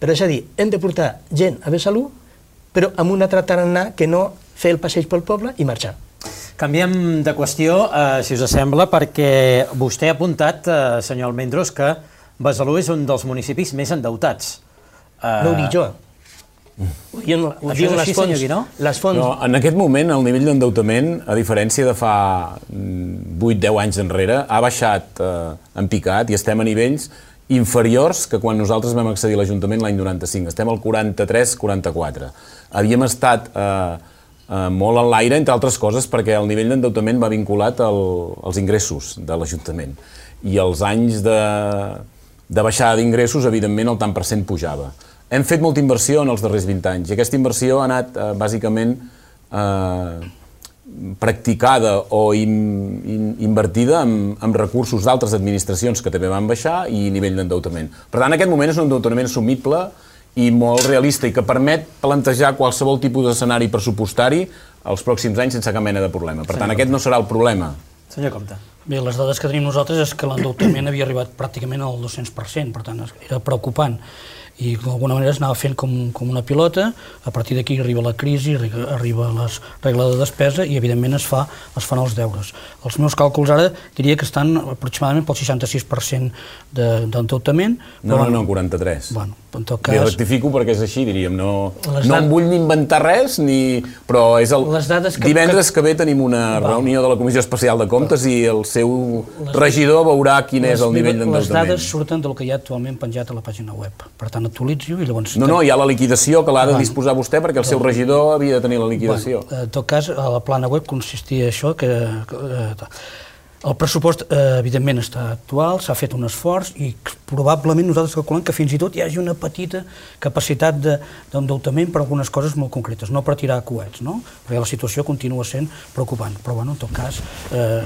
Però és a dir, hem de portar gent a Besalú, però amb un altre tarannà que no fer el passeig pel poble i marxar. Canviem de qüestió, si us sembla, perquè vostè ha apuntat, senyor Almendros, que Besalú és un dels municipis més endeutats. No ho dic jo. Això és així, senyor Guinó? En aquest moment, el nivell d'endeutament, a diferència de fa 8-10 anys enrere, ha baixat en picat i estem a nivells inferiors que quan nosaltres vam accedir a l'Ajuntament l'any 95. Estem al 43-44. Havíem estat molt en l'aire, entre altres coses, perquè el nivell d'endeutament va vinculat als ingressos de l'Ajuntament. I els anys de baixada d'ingressos, evidentment, el tant per cent pujava. Hem fet molta inversió en els darrers 20 anys i aquesta inversió ha anat, bàsicament, practicada o invertida amb recursos d'altres administracions que també van baixar i nivell d'endeutament. Per tant, aquest moment és un endeutament assumible i molt realista i que permet plantejar qualsevol tipus d'escenari pressupostari els pròxims anys sense cap mena de problema. Per tant, aquest no serà el problema. Senyor Compte. Bé, les dades que tenim nosaltres és que l'endeutament havia arribat pràcticament al 200%, per tant era preocupant. I d'alguna manera es anava fent com una pilota, a partir d'aquí arriba la crisi, arriba la regla de despesa i evidentment es fan els deures. Els meus càlculs ara diria que estan aproximadament pel 66% d'endeutament. No, 43. Bueno, en tot cas... Bé, rectifico perquè és així, diríem, no em vull ni inventar res, però és divendres que ve tenim una reunió de la Comissió Especial de Comptes i el seu regidor veurà quin és el nivell d'endeutament. Les dades surten del que hi ha actualment penjat a la pàgina web, per tant actualitzo i llavors... No, hi ha la liquidació que l'ha de disposar vostè perquè el seu regidor havia de tenir la liquidació. En tot cas, a la plana web consistia això que... El pressupost, evidentment, està actual, s'ha fet un esforç i probablement nosaltres calculem que fins i tot hi hagi una petita capacitat d'endeutament per algunes coses molt concretes, no per tirar coets, no? Perquè la situació continua sent preocupant. Però, en tot cas,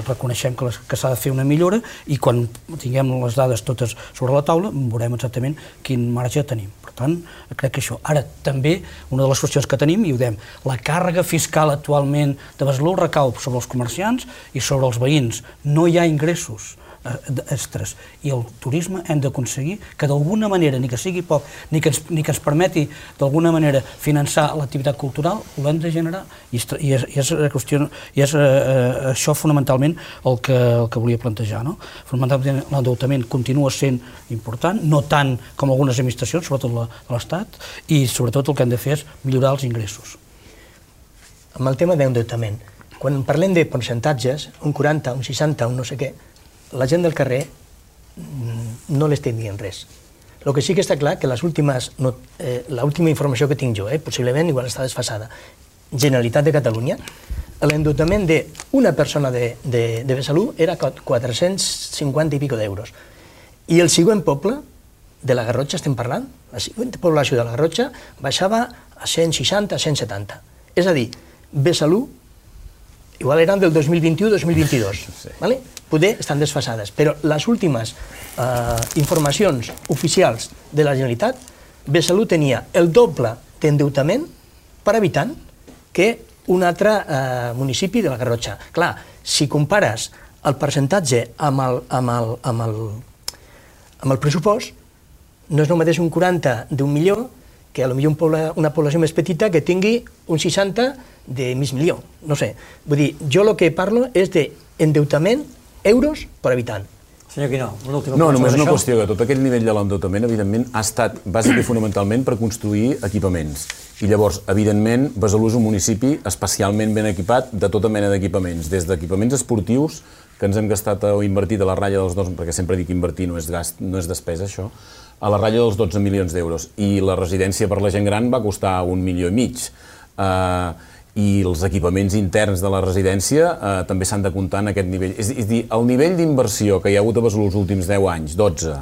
reconeixem que s'ha de fer una millora i quan tinguem les dades totes sobre la taula veurem exactament quin marge tenim. Per tant, crec que això. Ara, també, una de les qüestions que tenim, i ho dèiem, la càrrega fiscal actualment de Besalú recau sobre els comerciants i sobre els veïns. No hi ha ingressos extras i el turisme hem d'aconseguir que d'alguna manera, ni que sigui poc, ni que ens permeti d'alguna manera finançar l'activitat cultural, ho hem de generar i és això fonamentalment el que volia plantejar. Fonamentalment l'endeutament continua sent important, no tant com algunes administracions, sobretot l'Estat, i sobretot el que hem de fer és millorar els ingressos. Amb el tema d'endeutament, quan parlem de percentatges, un 40, un 60, un no sé què, la gent del carrer no l'estem dient res. El que sí que està clar que l'última informació que tinc jo, possiblement igual està desfasada, Generalitat de Catalunya, l'endeutament d'una persona de Besalú era 450 i pico d'euros. I el següent poble, de la Garrotxa estem parlant, la següent població de la Garrotxa baixava a 160, 170. És a dir, Besalú igual eren del 2021-2022, poder estan desfasades, però les últimes informacions oficials de la Generalitat, Besalú tenia el doble d'endeutament per habitant que un altre municipi de la Garrotxa. Clar, si compares el percentatge amb el pressupost, no és el mateix un 40 d'un milió que potser una població més petita que tingui un 60 de mig milió, no sé. Vull dir, jo el que parlo és d'endeutament euros per habitant. Senyor Guinó, l'última No, només una qüestió, que tot aquell nivell de l'endeutament, evidentment, ha estat bàsicament i fonamentalment per construir equipaments. I llavors, evidentment, Besalú és un municipi especialment ben equipat de tota mena d'equipaments, des d'equipaments esportius, que ens hem gastat o invertit a la ratlla dels 2, perquè sempre dic invertir, no és despesa, això, a la ratlla dels 12 milions d'euros. I la residència per la gent gran va costar 1,5 milions. I els equipaments interns de la residència també s'han de comptar en aquest nivell. És a dir, el nivell d'inversió que hi ha hagut a Besalú els últims 10 anys, 12,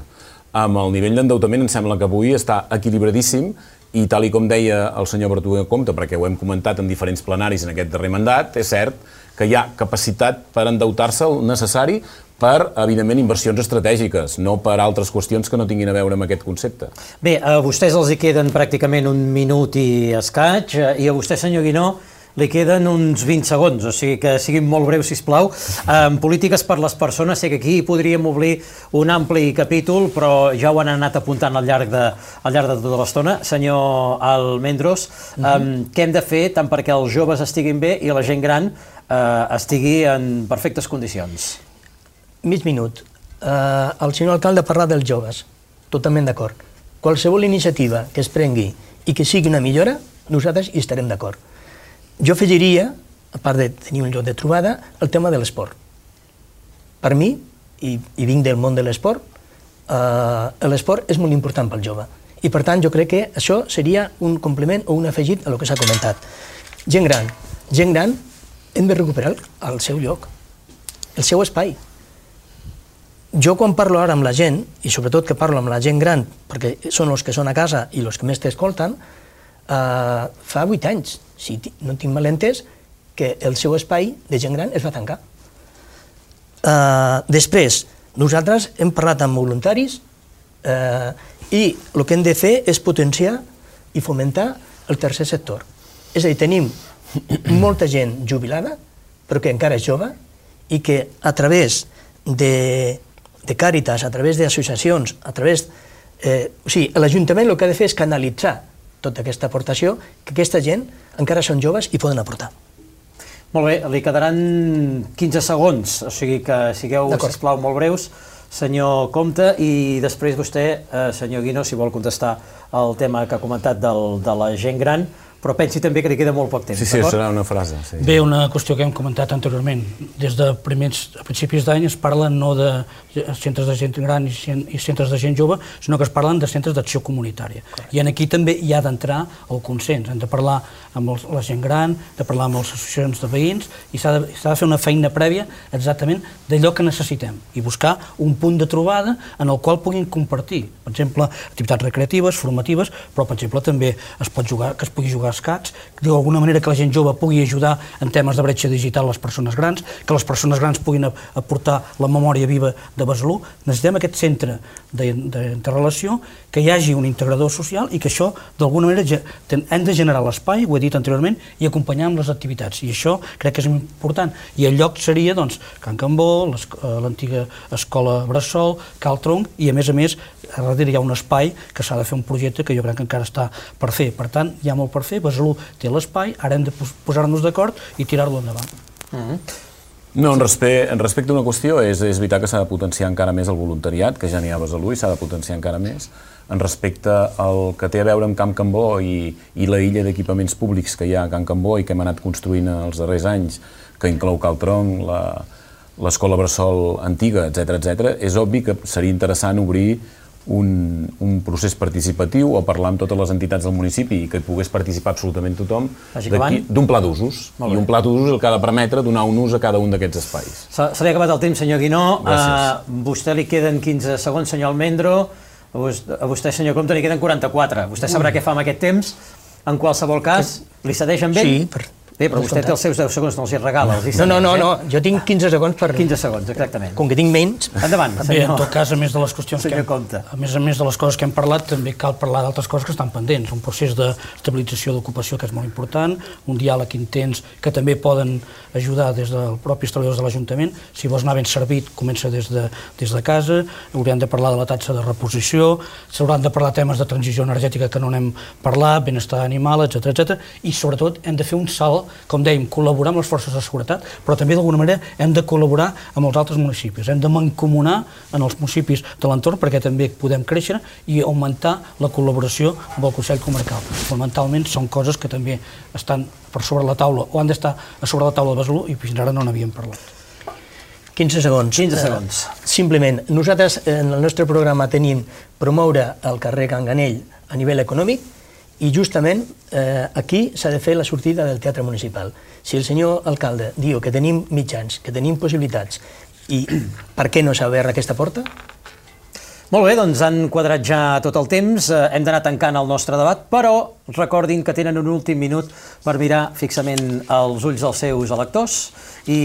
amb el nivell d'endeutament, em sembla que avui està equilibradíssim i tal com deia el senyor Bertrué Compte, perquè ho hem comentat en diferents plenaris en aquest darrer mandat, és cert que hi ha capacitat per endeutar-se el necessari per, evidentment, inversions estratègiques, no per altres qüestions que no tinguin a veure amb aquest concepte. Bé, a vostès els hi queden pràcticament un minut i escaig, i a vostè, senyor Guinó, li queden uns 20 segons, o sigui que siguin molt breus, sisplau. En polítiques per les persones, sé que aquí podríem obrir un ampli capítol, però ja ho han anat apuntant al llarg de tota l'estona. Senyor Almendros, què hem de fer tant perquè els joves estiguin bé i la gent gran estigui en perfectes condicions? Mig minut. El senyor alcalde ha parlat dels joves, totalment d'acord. Qualsevol iniciativa que es prengui i que sigui una millora, nosaltres hi estarem d'acord. Jo afegiria, a part de tenir un lloc de trobada, el tema de l'esport. Per mi, i vinc del món de l'esport, l'esport és molt important pel jove. I per tant jo crec que això seria un complement o un afegit a el que s'ha comentat. Gent gran, hem de recuperar el seu lloc, el seu espai. Jo quan parlo ara amb la gent, i sobretot que parlo amb la gent gran, perquè són els que són a casa i els que més t'escolten, fa 8 anys, si no tinc mal entès, que el seu espai de gent gran es va tancar. Després, nosaltres hem parlat amb voluntaris i el que hem de fer és potenciar i fomentar el tercer sector. És a dir, tenim molta gent jubilada, però que encara és jove, i que a través de Càritas, a través d'associacions, a través... O sigui, l'Ajuntament el que ha de fer és canalitzar tota aquesta aportació, que aquesta gent encara són joves i poden aportar. Molt bé, li quedaran 15 segons, o sigui que sigueu, sisplau, molt breus, senyor Compte, i després vostè, senyor Guinó, si vol contestar el tema que ha comentat de la gent gran, però pensi també que li queda molt poc temps. Sí, serà una frase. Bé, una qüestió que hem comentat anteriorment. Des de principis d'any es parla no de centres de gent gran i centres de gent jove, sinó que es parlen de centres d'acció comunitària. I aquí també hi ha d'entrar el consens. Hem de parlar amb la gent gran, de parlar amb les associacions de veïns, i s'ha de fer una feina prèvia exactament d'allò que necessitem i buscar un punt de trobada en el qual puguin compartir, per exemple, activitats recreatives, formatives, però, per exemple, també es pugui jugar escacs, d'alguna manera que la gent jove pugui ajudar en temes de bretxa digital a les persones grans, que les persones grans puguin aportar la memòria viva de Besalú. Necessitem aquest centre d'interrelació, que hi hagi un integrador social i que això, d'alguna manera, hem de generar l'espai, ho he dit anteriorment, i acompanyar amb les activitats. I això crec que és important. I el lloc seria, doncs, Can Cambó, l'antiga escola Bressol, Cal Tronc, i a més, a darrere hi ha un espai que s'ha de fer un projecte que jo crec que encara està per fer. Per tant, hi ha molt per fer, Besalú té l'espai, ara hem de posar-nos d'acord i tirar-lo endavant. No, en respecte a una qüestió, és veritat que s'ha de potenciar encara més el voluntariat, que ja n'hi ha a Besalú i s'ha de potenciar encara més. En respecte al que té a veure amb Can Cambó i la illa d'equipaments públics que hi ha a Can Cambó i que hem anat construint els darrers anys, que inclou Cal Tronc, l'escola Bressol antiga, etc., és obvi que seria interessant obrir un procés participatiu o parlar amb totes les entitats del municipi i que pogués participar absolutament tothom d'un pla d'usos. I un pla d'usos el que ha de permetre donar un ús a cada un d'aquests espais. Se li ha acabat el temps, senyor Guinó. A vostè li queden 15 segons, senyor Almendro. A vostè, senyor Compte, li queden 44. Vostè sabrà què fa amb aquest temps. En qualsevol cas, li cedeix amb ell? Sí, bé, però vostè té els seus 10 segons, no els hi regala. No, jo tinc 15 segons per... 15 segons, exactament. Com que tinc menys... Endavant, senyor. Bé, en tot cas, a més de les qüestions senyor Compte. A més de les coses que hem parlat, també cal parlar d'altres coses que estan pendents. Un procés d'estabilització d'ocupació que és molt important, un diàleg intens que també poden ajudar des dels propis treballadors de l'Ajuntament. Si vols anar ben servit, comença des de casa. Haurem de parlar de la taxa de reposició, s'hauran de parlar temes de transició energètica que no n'hem parlat, benestar animal, etc. I sobretot hem de fer un salt, com dèiem, col·laborar amb les forces de seguretat, però també d'alguna manera hem de col·laborar amb els altres municipis. Hem de mancomunar en els municipis de l'entorn perquè també podem créixer i augmentar la col·laboració amb el Consell Comarcal. Fonamentalment són coses que també estan per sobre la taula o han d'estar a sobre la taula de Besalú i fins ara no n'havíem parlat. 15 segons. 15 segons. Simplement, nosaltres en el nostre programa tenim promoure el carrer Can Ganell a nivell econòmic i justament aquí s'ha de fer la sortida del teatre municipal. Si el senyor alcalde diu que tenim mitjans, que tenim possibilitats, i per què no s'ha obert aquesta porta? Molt bé, doncs han quadrat ja tot el temps, hem d'anar tancant el nostre debat, però recordin que tenen un últim minut per mirar fixament els ulls dels seus electors i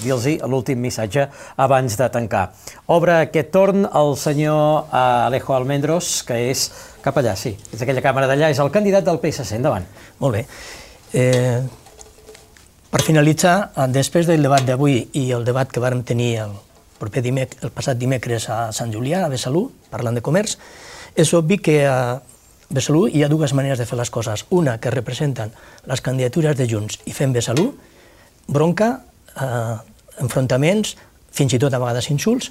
dir-los l'últim missatge abans de tancar. Obre aquest torn el senyor Alejo Almendros, que és cap allà, sí, és aquella càmera d'allà, és el candidat del PSC, endavant. Molt bé. Per finalitzar, després del debat d'avui i el debat que vàrem tenir el passat dimecres a Sant Julià, a Besalú, parlant de comerç, és obvi que a Besalú hi ha dues maneres de fer les coses. Una, que representen les candidatures de Junts i fem Besalú, bronca, enfrontaments, fins i tot a vegades insults,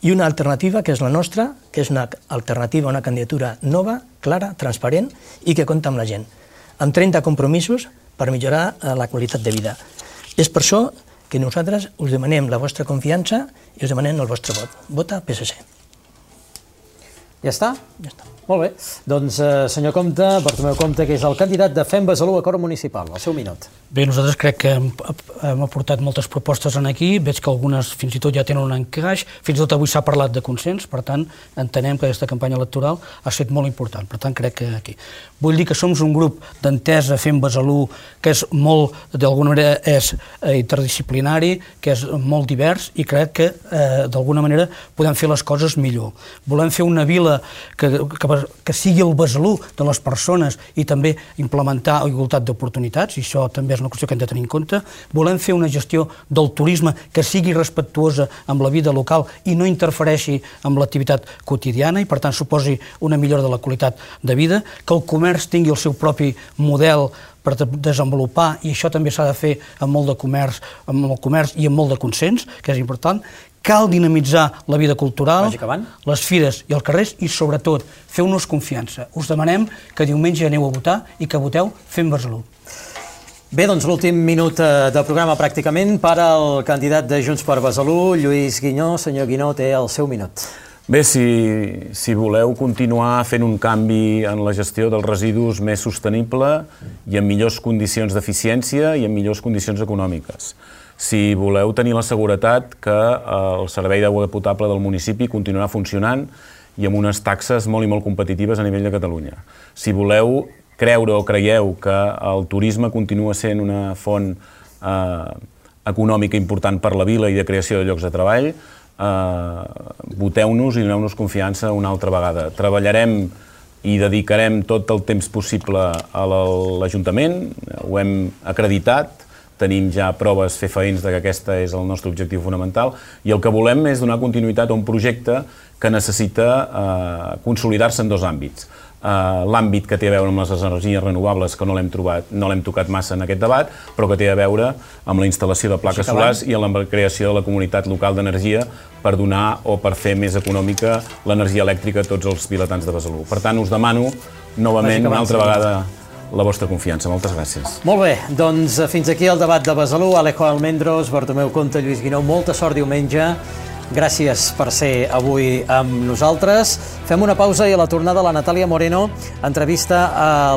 i una alternativa, que és la nostra, que és una alternativa a una candidatura nova, clara, transparent i que compta amb la gent, amb 30 compromisos per millorar la qualitat de vida. És per això que nosaltres us demanem la vostra confiança i us demanem el vostre vot. Vota PSC. Ja està? Ja està. Molt bé. Doncs, senyor Compte, Bartomeu Compte, que és el candidat de Fem Besalú a Cor Municipal. El seu minut. Bé, nosaltres crec que hem aportat moltes propostes aquí, veig que algunes fins i tot ja tenen un encaix, fins i tot avui s'ha parlat de consens, per tant, entenem que aquesta campanya electoral ha estat molt important, per tant, crec que aquí. Vull dir que som un grup d'entesa Fem Besalú que és molt, d'alguna manera, és interdisciplinari, que és molt divers i crec que, d'alguna manera, podem fer les coses millor. Volem fer una vila vila que sigui el Besalú de les persones i també implementar igualtat d'oportunitats, i això també és una qüestió que hem de tenir en compte. Volem fer una gestió del turisme que sigui respectuosa amb la vida local i no interfereixi amb l'activitat quotidiana i, per tant, suposi una millora de la qualitat de vida, que el comerç tingui el seu propi model per desenvolupar, i això també s'ha de fer amb molt de comerç, amb el comerç i amb molt de consens, que és important. Cal dinamitzar la vida cultural, les fires i els carrers i, sobretot, feu-nos confiança. Us demanem que diumenge aneu a votar i que voteu Fem Besalú. Bé, doncs l'últim minut de programa pràcticament per al candidat de Junts per Besalú, Lluís Guinó. Senyor Guinó, té el seu minut. Bé, si voleu continuar fent un canvi en la gestió dels residus més sostenible i en millors condicions d'eficiència i en millors condicions econòmiques. Si voleu tenir la seguretat que el servei d'aigua potable del municipi continuarà funcionant i amb unes taxes molt i molt competitives a nivell de Catalunya. Si voleu creure o creieu que el turisme continua sent una font econòmica important per la vila i de creació de llocs de treball, voteu-nos i doneu-nos confiança una altra vegada. Treballarem i dedicarem tot el temps possible a l'Ajuntament, ho hem acreditat, tenim ja proves fefaents que aquest és el nostre objectiu fonamental i el que volem és donar continuïtat a un projecte que necessita consolidar-se en dos àmbits. L'àmbit que té a veure amb les energies renovables, que no l'hem tocat massa en aquest debat, però que té a veure amb la instal·lació de plaques solars i amb la creació de la comunitat local d'energia per donar o per fer més econòmica l'energia elèctrica a tots els vilatans de Besalú. Per tant, us demano novament una altra vegada la vostra confiança. Moltes gràcies. Molt bé, doncs fins aquí el debat de Besalú. Alejo Almendros, Bartomeu Compte, Lluís Guinó, molta sort diumenge. Gràcies per ser avui amb nosaltres. Fem una pausa i a la tornada la Natàlia Moreno entrevista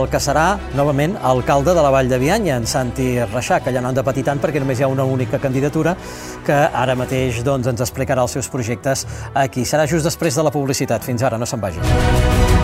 el que serà, novament, alcalde de la Vall de Bianya, en Santi Reixac, que ja no han de patir tant perquè només hi ha una única candidatura, que ara mateix ens explicarà els seus projectes aquí. Serà just després de la publicitat. Fins ara, no se'n vagin.